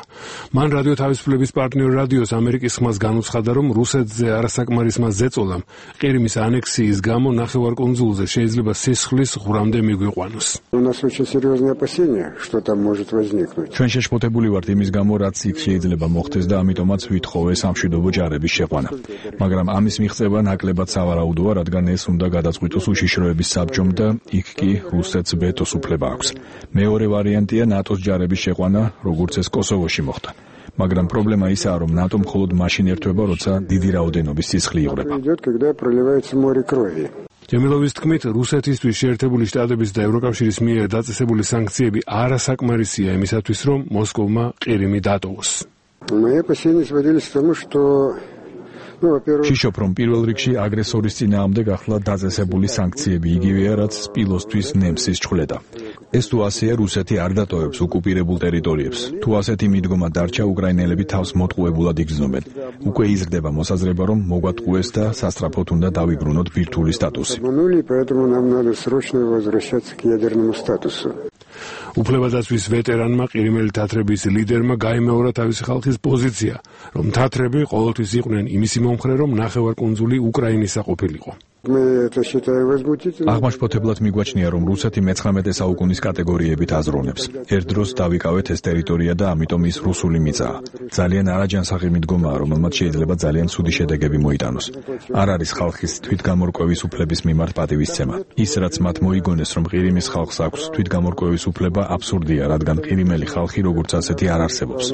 მან რადიო თავისუფლების პარტნიორ რადიოს ამერიკის ხმას განუცხადა, რომ რუსეთზე არასაკმარისმა ზეწოლამ ყირიმის ანექსიის გამო ნახევარკუნძულზე შეიძლება სისხლის ღვრამდე მიგვიყვანოს. ჩვენ შეშფოთებული ვართ იმის გამო, რაც იქ შეიძლება მოხდეს და ამიტომაც ვითხოვე სამშვიდობო ჯარების შეყვანა. მაგრამ ამის მიღწევა ნაკლებად სავარაუდოა, რადგან ეს უნდა გადაწყვიტოს უშიშროების საბჭომ და იქ კი რუსეთს ვეტოს უფლება აქვს. მეორე ვარიანტია ნატოს ჯარების შეყვანა, როგორც ეს კოსოვოში მოხდა. მაგრამ პრობლემა ისაა, რომ ნატო მხოლოდ მაშინ ერთვება, როცა დიდი რაოდენობის სისხლი იღვრება. ჯემილოვის თქმით, რუსეთისთვის შეერთებული შტატების და ევროკავშირის მიერ დაწესებული სანქციები არასაკმარისია იმისათვის, რომ მოსკოვმა ყირიმი დატოვოს. შიშობ, რომ პირველ რიგში აგრესორის წინააღმდეგ ახლა დაწესებული სანქციები იგივეა, რაც სპილოსთვის ნემსის ჩხვლეტა. ეს თუ ასეა, რუსეთი არ დატოვებს ოკუპირებულ ტერიტორიებს. თუ ასეთი მიდგომა დარჩა, უკრაინელები თავს მოტყუებულად იგრძნობენ. უკვე იზრდება მოსაზრება, რომ მოგვატყუეს და სასწრაფოდ უნდა დავიბრუნოთ ბირთვული სტატუსი. უფლებადაცვის ვეტერანმა ყირიმელი თათრების ლიდერმა გაიმეორა თავისი ხალხის პოზიცია, რომ თათრები ყოველთვის იყვნენ იმისი მომხრე, რომ ნახევარკუნძული უკრაინისა ყოფილიყო. აღმაშფოთებლად მიგვაჩნია, რომ რუსეთი მე-19 საუკუნის კატეგორიებით აზროვნებს. ერთ დროს დავიკავეთ ეს ტერიტორია და ამიტომ ის რუსული მიწაა. ძალიან არაჯანსაღი მიდგომაა, რომელმაც შეიძლება ძალიან ცუდი შედეგები მოიტანოს. არ არის ხალხის თვითგამორკვევის უფლების მიმართ პატივისცემა. ის, რაც მათ მოიგონეს, რომ ყირიმის ხალხს აქვს თვითგამორკვევის უფლება, აბსურდია, რადგან ყირიმელი ხალხი როგორც ასეთი არ არსებობს.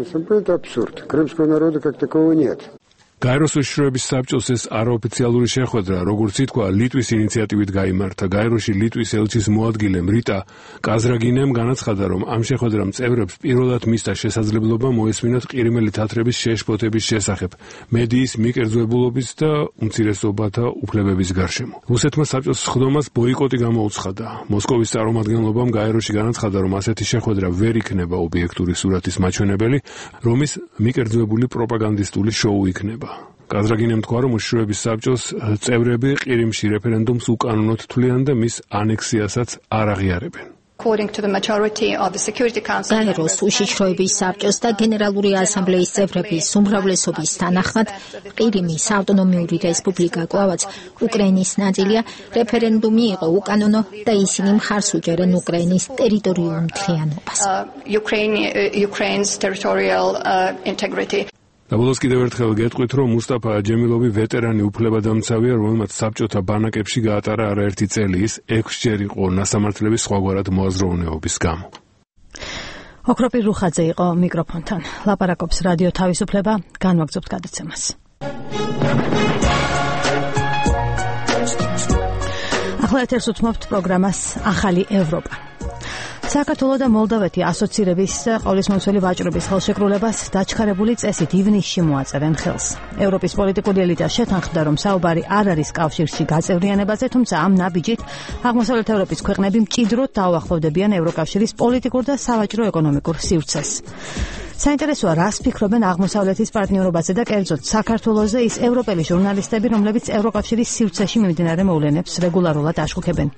გაეროს უშიშროების საბჭოს ეს არაოფიციალური შეხვედრა, როგორც ითქვა, ლიტვის ინიციატივით გაიმართა. გაეროში ლიტვის ელჩის მოადგილემ რიტა კაზრაგინემ განაცხადა, რომ ამ შეხვედრამ წევრებს პირველად მისცა შესაძლებლობა მოესმინოთ ყირიმელი თათრების შეშფოთების შესახებ, მედიის მიკერძვებულობის და უმცირესობათა უფლებების გარშემო. რუსეთმა საბჭოს სხდომას ბოიკოტი გამოუცხადა. მოსკოვის წარმომადგენლობამ გაეროში განაცხადა, რომ ასეთი შეხვედრა ვერ იქნება ობიექტური სურათის მაჩვენებელი, რომ ის მიკერძვებული პროპაგანდისტული შოუ იქნება. კაზრაგინემ თქვა, რომ უშიშროების საბჭოს წევრები ყირიმში რეფერენდუმს უკანონოდ თვლიან და მის ანექსიასაც არ აღიარებენ. გაეროს უშიშროების საბჭოს და გენერალური ასამბლეის წევრების უმრავლესობის თანახმად ყირიმის ავტონომიური რესპუბლიკა კვლავაც უკრაინის ნაწილია, რეფერენდუმი იყო უკანონო და ისინი მხარს უჭერენ უკრაინის ტერიტორიულ მთლიანობას. დაბოლოს კიდევ ერთხელ გეტყვით, რომ მუსტაფა ჯემილოვი ვეტერანი უფლებადამცავია, რომელმაც საბჭოთა ბანაკებში გაატარა არაერთი წელი, ის 6-ჯერ იყო ნასამართლების სხვაგვარად მოაზროვნეობის გამო. ოქროპირ რუხაძე იყო მიკროფონთან. ლაპარაკობს რადიო თავისუფლება, განვაგრძობთ გადაცემას. ახლა ეთერს უთმობთ პროგრამას ახალი ევროპა. საქართველო და მოლდოვეთი ასოცირების ყოვლისმომცველი ვაჭრობის ხელშეკრულებას დაჩქარებული წესით ივნისში მოაწერენ ხელს. ევროპის პოლიტიკური ელიტა შეთანხმდა, რომ საუბარი არ არის კავშირში გაწევრიანებაზე, თუმცა ამ ნაბიჯით აღმოსავლეთ ევროპის ქვეყნები მჭიდროდ დაუახლოვდებიან ევროკავშირის პოლიტიკურ და სავაჭრო-ეკონომიკურ სივრცეს. საინტერესოა, რას ფიქრობენ აღმოსავლეთის პარტნიორობაზე და კერძოდ საქართველოზე ის ევროპელი ჟურნალისტები, რომლებიც ევროკავშირის სივრცეში მიმდინარე მოვლენებს რეგულარულად აშუქებენ.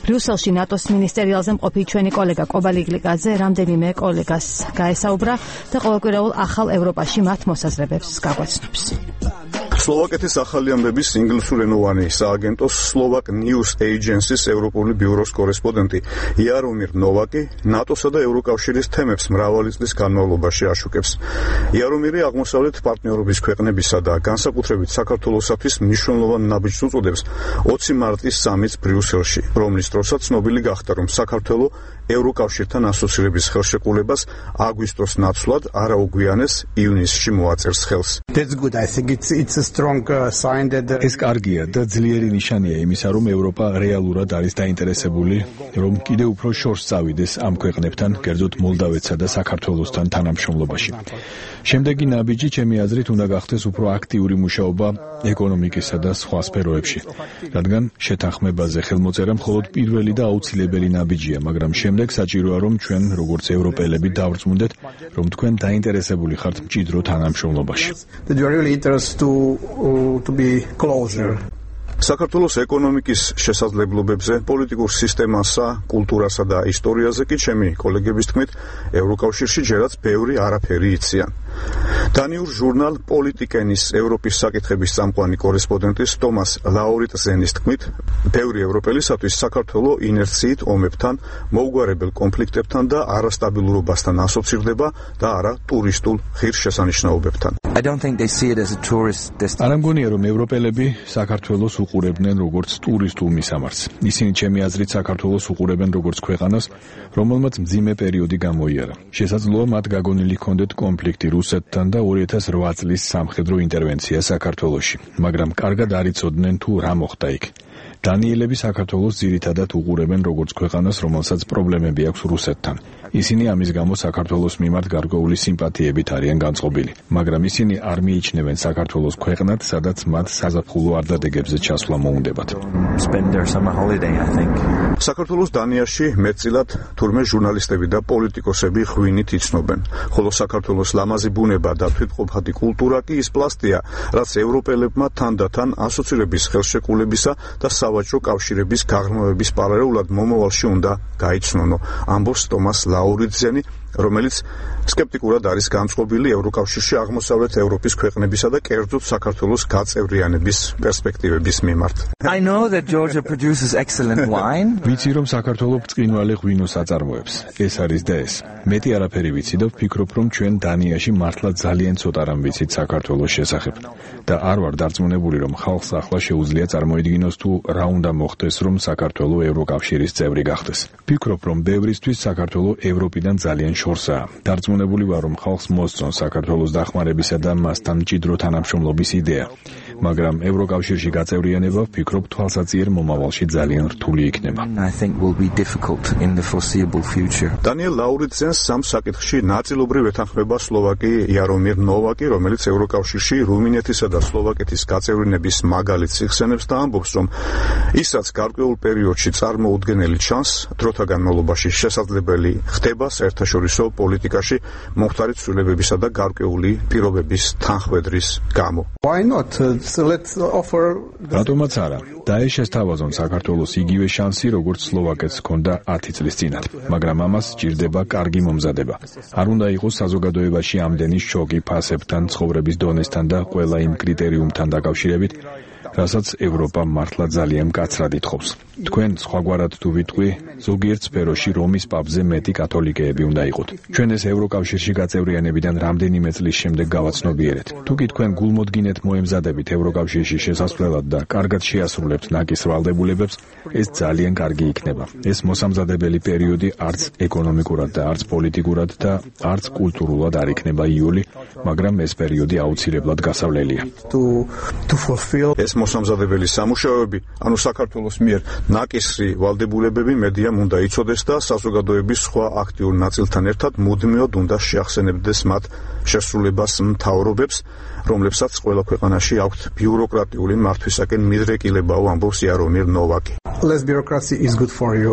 ბრიუსელში ნატოს მინისტერიალზე მყოფი ჩვენი კოლეგა კობალი გლიკაძე რამდენიმე კოლეგას გაესაუბრა და ყოველკვირეულ ახალ ევროპაში მათ მოსაზრებებს გაგვაცნობს. სლოვაკეთის ახალი ამბების ინგლისურენოვანი სააგენტოს Slovak News Agency-ს ევროპული ბიუროს კორესპონდენტი იარომირ ნოვაკი ნატოსა და ევროკავშირის თემებს მრავალი წლის განმავლობაში აშუქებს. იარომირი აღმოსავლეთ პარტნიორობის ქვეყნებისა და განსაკუთრებით საქართველოსათვის მნიშვნელოვან ნაბიჯს უწოდებს 20 მარტის სამიტს ბრიუსელში, რომლის დროსაც ცნობილი გახდა, რომ საქართველო ევროკავშირთან ასოცირების ხელშეკრულებას აგვისტოს ნაცვლად არაუგვიანეს ივნისში მოაწერს ხელს. ეს კარგია და ძლიერი ნიშანია იმისა, რომ ევროპა რეალურად არის დაინტერესებული, რომ კიდევ უფრო შორს წავიდეს ამ ქვეყნებთან, კერძოდ მოლდავეთსა და საქართველოსთან თანამშრომლობაში. შემდეგი ნაბიჯი, ჩემი აზრით, უნდა გახდეს უფრო აქტიური მუშაობა ეკონომიკისა და სხვა სფეროებში, რადგან შეთანხმებაზე ხელმოწერა მხოლოდ პირველი და აუცილებელი ნაბიჯია, მაგრამ შემდეგ საჭიროა, რომ ჩვენ, როგორც ევროპელები, დავრწმუნდეთ, რომ თქვენ დაინტერესებული ხართ მჭიდრო თანამშრომლობაში. საქართველოს ეკონომიკის შესაძლებლობებზე, პოლიტიკურ სისტემასა, კულტურასა და ისტორიაზე კი ჩემი კოლეგების თქმით, ევროკავშირში ჯერაც ბევრი არაფერი იციან. დანიურ ჟურნალ პოლიტიკენის ევროპის საკითხების წამყვანი კორესპონდენტის ტომას ლაურიტზენის თქმით, ბევრი ევროპელისათვის საქართველო ინერციით ომებთან, მოუგვარებელ კონფლიქტებთან და არასტაბილურობასთან ასოცირდება და არა ტურისტულ ღირსშესანიშნაობებთან. არ მგონია, რომ ევროპელები საქართველოს უყურებდნენ როგორც ტურისტულ მისამართს. ისინი ჩემი აზრით საქართველოს უყურებენ როგორც ქვეყანას, რომელმაც მძიმე პერიოდი გამოიარა. შესაძლოა მათ გაგონილი ჰქონდეთ კონფლიქტი რუსეთთან და 2008 წლის სამხედრო ინტერვენცია საქართველოში, მაგრამ კარგად არ იცოდნენ თუ რა მოხდა იქ. დანიელები საქართველოს ძირითადად უყურებენ როგორც ქვეყანას, რომელსაც პრობლემები აქვს რუსეთთან. ისინი ამის გამო საქართველოს მიმართ გარკვეული სიმპათიებით არიან განწყობილი, მაგრამ ისინი არ მიიჩნევენ საქართველოს ქვეყნად, სადაც მათ საზაფხულო არდადეგებზე ჩასვლა მოუნდებათ. საქართველოს დანიაში მეტწილად თურმე ჟურნალისტები და პოლიტიკოსები ღვინით იცნობენ, ხოლო საქართველოს ლამაზი ბუნება და თვითმყოფადი კულტურა კი ის პლასტია, რაც ევროპელებმა თანდათან ასოცირების ხელშეკრულებისა და სავაჭრო კავშირების გაღრმავების პარალელურად მომავალში უნდა გაიცნონო, ამბობს ტომას ლაურიტზენი, რომელიც სკეპტიკურად არის განწყობილი ევროკავშირში აღმოსავლეთ ევროპის ქვეყნებისა და კერძოდ საქართველოს გაწევრიანების პერსპექტივების მიმართ. ვიცი, რომ საქართველო ბრწყინვალე ღვინოს აწარმოებს. ეს არის და ეს. მეტი არაფერი ვიცი და ვფიქრობ, რომ ჩვენ დანიაში მართლა ძალიან ცოტა რამ ვიცით საქართველოს შესახებ. და არ ვარ დარწმუნებული, რომ ხალხს ახლა შეუძლია წარმოიდგინოს თუ რა უნდა მოხდეს, რომ საქართველო ევროკავშირის წევრი გახდეს. ვფიქრობ, რომ ბევრისთვის საქართველო ევროპიდან ძალიან შორსაა. დარწმუნებული ვარ, რომ ხალხს მოსწონს საქართველოს დახმარებისა და მასთან მჭიდრო თანამშრომლობის იდეა. მაგრამ ევროკავშირში გაწევრიანება, ვფიქრობ, თვალსაჩინო მომავალში ძალიან რთული იქნება. დანიელ ლაურიტზენს სამ საკითხში ნაწილობრივ ეთანხმება სლოვაკი იარომირ ნოვაკი, რომელიც ევროკავშირში რუმინეთისა და სლოვაკეთის გაწევრიანების მაგალითს იხსენებს და ამბობს, რომ ისაც გარკვეულ პერიოდში წარმოუდგენელი ჩანს, დროთა განმავლობაში შესაძლებელი ხდება საერთაშორისო პოლიტიკაში მომხდარი ცვლილებებისა და გარკვეული პირობების თანხმედრის გამო. რატომაც არა? დაეშეს თავაზონ საქართველოს იგივე შანსი, როგორც სლოვაკეთს ჰქონდა 10 წლის წინათ, მაგრამ ამას სჭირდება კარგი მომზადება. არ უნდა იყოს საზოგადოებაში ამდენი შოკი ფასებთან, ცხოვრების დონესთან და ყველა იმ კრიტერიუმთან დაკავშირებით, რასაც ევროპა მართლა ძალიან მკაცრად ითხოვს. თქვენ სხვაგვარად თუ ვიტყვი, ზოგიერთ სფეროში რომის პაპზე მეტი კათოლიკეები უნდა იყოთ. ჩვენ ეს ევროკავშირში გაწევრიანებიდან რამდენიმე წლის შემდეგ გავაცნობიერეთ. თუ კი თქვენ გულმოდგინეთ მოემზადებით ევროკავშირში შესასვლელად და კარგად შეასრულებთ ნაკის ვალდებულებებს, ეს ძალიან კარგი იქნება. ეს მოსამზადებელი პერიოდი არც ეკონომიკურად და არც პოლიტიკურად და არც კულტურულად არ იქნება იოლი, მაგრამ ეს პერიოდი აუცილებლად გასავლელია. ეს მოსამზადებელი სამუშაოები, ანუ საქართველოს მიერ ნაკისრი ვალდებულებები მედიამ უნდა იცოდეს და საზოგადოების სხვა აქტიურ ნაწილთან ერთად მუდმივად უნდა შეახსენებდეს მათ შესრულებას მთავრობებს, რომლებსაც ყველა ქვეყანაში აქვთ ბიუროკრატიული მართვისაკენ მიდრეკილებაო, ამბობს იარომირ ნოვაკი. Less bureaucracy is good for you,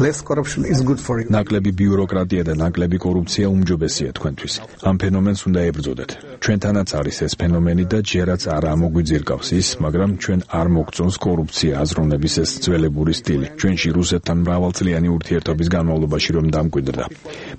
less corruption is good for you. ნაკლები ბიუროკრატია და ნაკლები კორუფცია უმჯობესია თქვენთვის. ამ ფენომენს უნდა ებრძოდეთ. ჩვენთანაც არის ეს ფენომენი და ჯერაც არ ამოგვიძირკავს ის, მაგრამ ჩვენ არ მოგწონს კორუფცია, აზროვნების ეს ძველებური სტილი. ჩვენში რუსეთთან მრავალწლიანი ურთიერთობის განმავლობაში რომ დამკვიდრდა.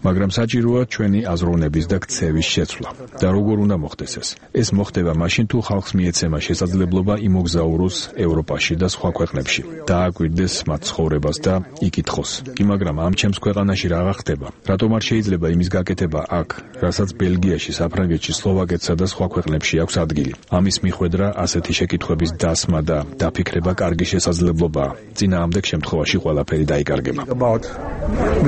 მაგრამ საჭიროა ჩვენი აზროვნების და ქცევის შეცვლა. და როგორ უნდა მოხდეს ეს? ეს მოხდება მაშინ თუ ხალხს მიეცემა შესაძლებლობა იმოგზაუროს ევროპაში და სხვა ქვეყნებში. დააკვირდეს მათ ცხოვრებას და იკითხოს. მაგრამ ამ ჩემს ქვეყანაში რა ხდება? რატომ არ შეიძლება იმის გაკეთება აქ, რასაც ბელგიაში, საფრანგეთში, სლოვაკეთსა და სხვა ქვეყნებში აქვს ადგილი? ამის მიხვედრა ასეთი შეკითხვების დასმა და დაფიქრება კარგი შესაძლებლობაა. წინააღმდეგ შემთხვევაში ყველაფერი დაიკარგება.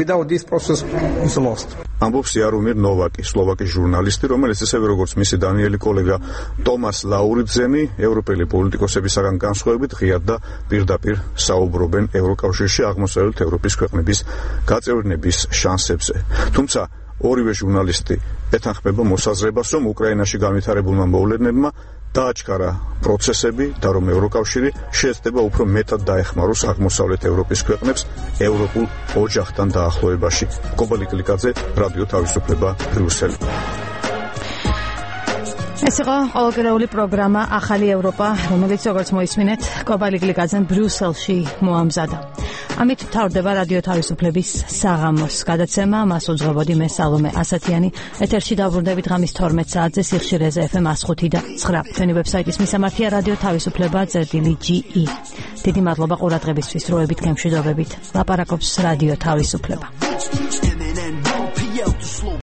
Without this process is lost. ამბობს იარომირ ნოვაკი, სლოვაკის ჟურნალისტი, რომელიც ისევე როგორც მისი დანიელი კოლეგა ტომას ლაურიძენი, ევროპელი პოლიტიკოსებისაგან განსხვავებით ღიად და პირდაპირ საუბრობენ ევროკავშირში აღმოსავლეთ ევროპის ქვეყნების გაწევრიანების შანსებზე. თუმცა ორივე ჟურნალისტი ეთანხმება მოსაზრებას, რომ უკრაინაში განვითარებულმა მოვლენებმა დააჩქარა პროცესები და რომ ევროკავშირი შეეცდება უფრო მეტად დაეხმაროს აღმოსავლეთ ევროპის ქვეყნებს ევროპულ ოჯახთან დაახლოებაში. კობალი კლიკაძე, რადიო თავისუფლება, ბრიუსელი. ეს იყო ყოველკვირეული პროგრამა ახალი ევროპა, რომელიც როგორც მოისმინეთ, კობალი კლიკაძემ ბრიუსელში მოამზადა. ამით თავდება რადიო თავისუფლების საღამოს გადაცემა, მას უძღვებოდი მე სალომე ასათიანი. ეთერში დაბრუნდებით ღამის 12 საათზე სიხშირეზე FM 105.9. ჩვენი ვებსაიტის მისამართია რადიო თავისუფლება.ge. დიდი მადლობა ყურადღებისთვის, დროებით გემშვიდობებით. ლაპარაკობს რადიო თავისუფლება.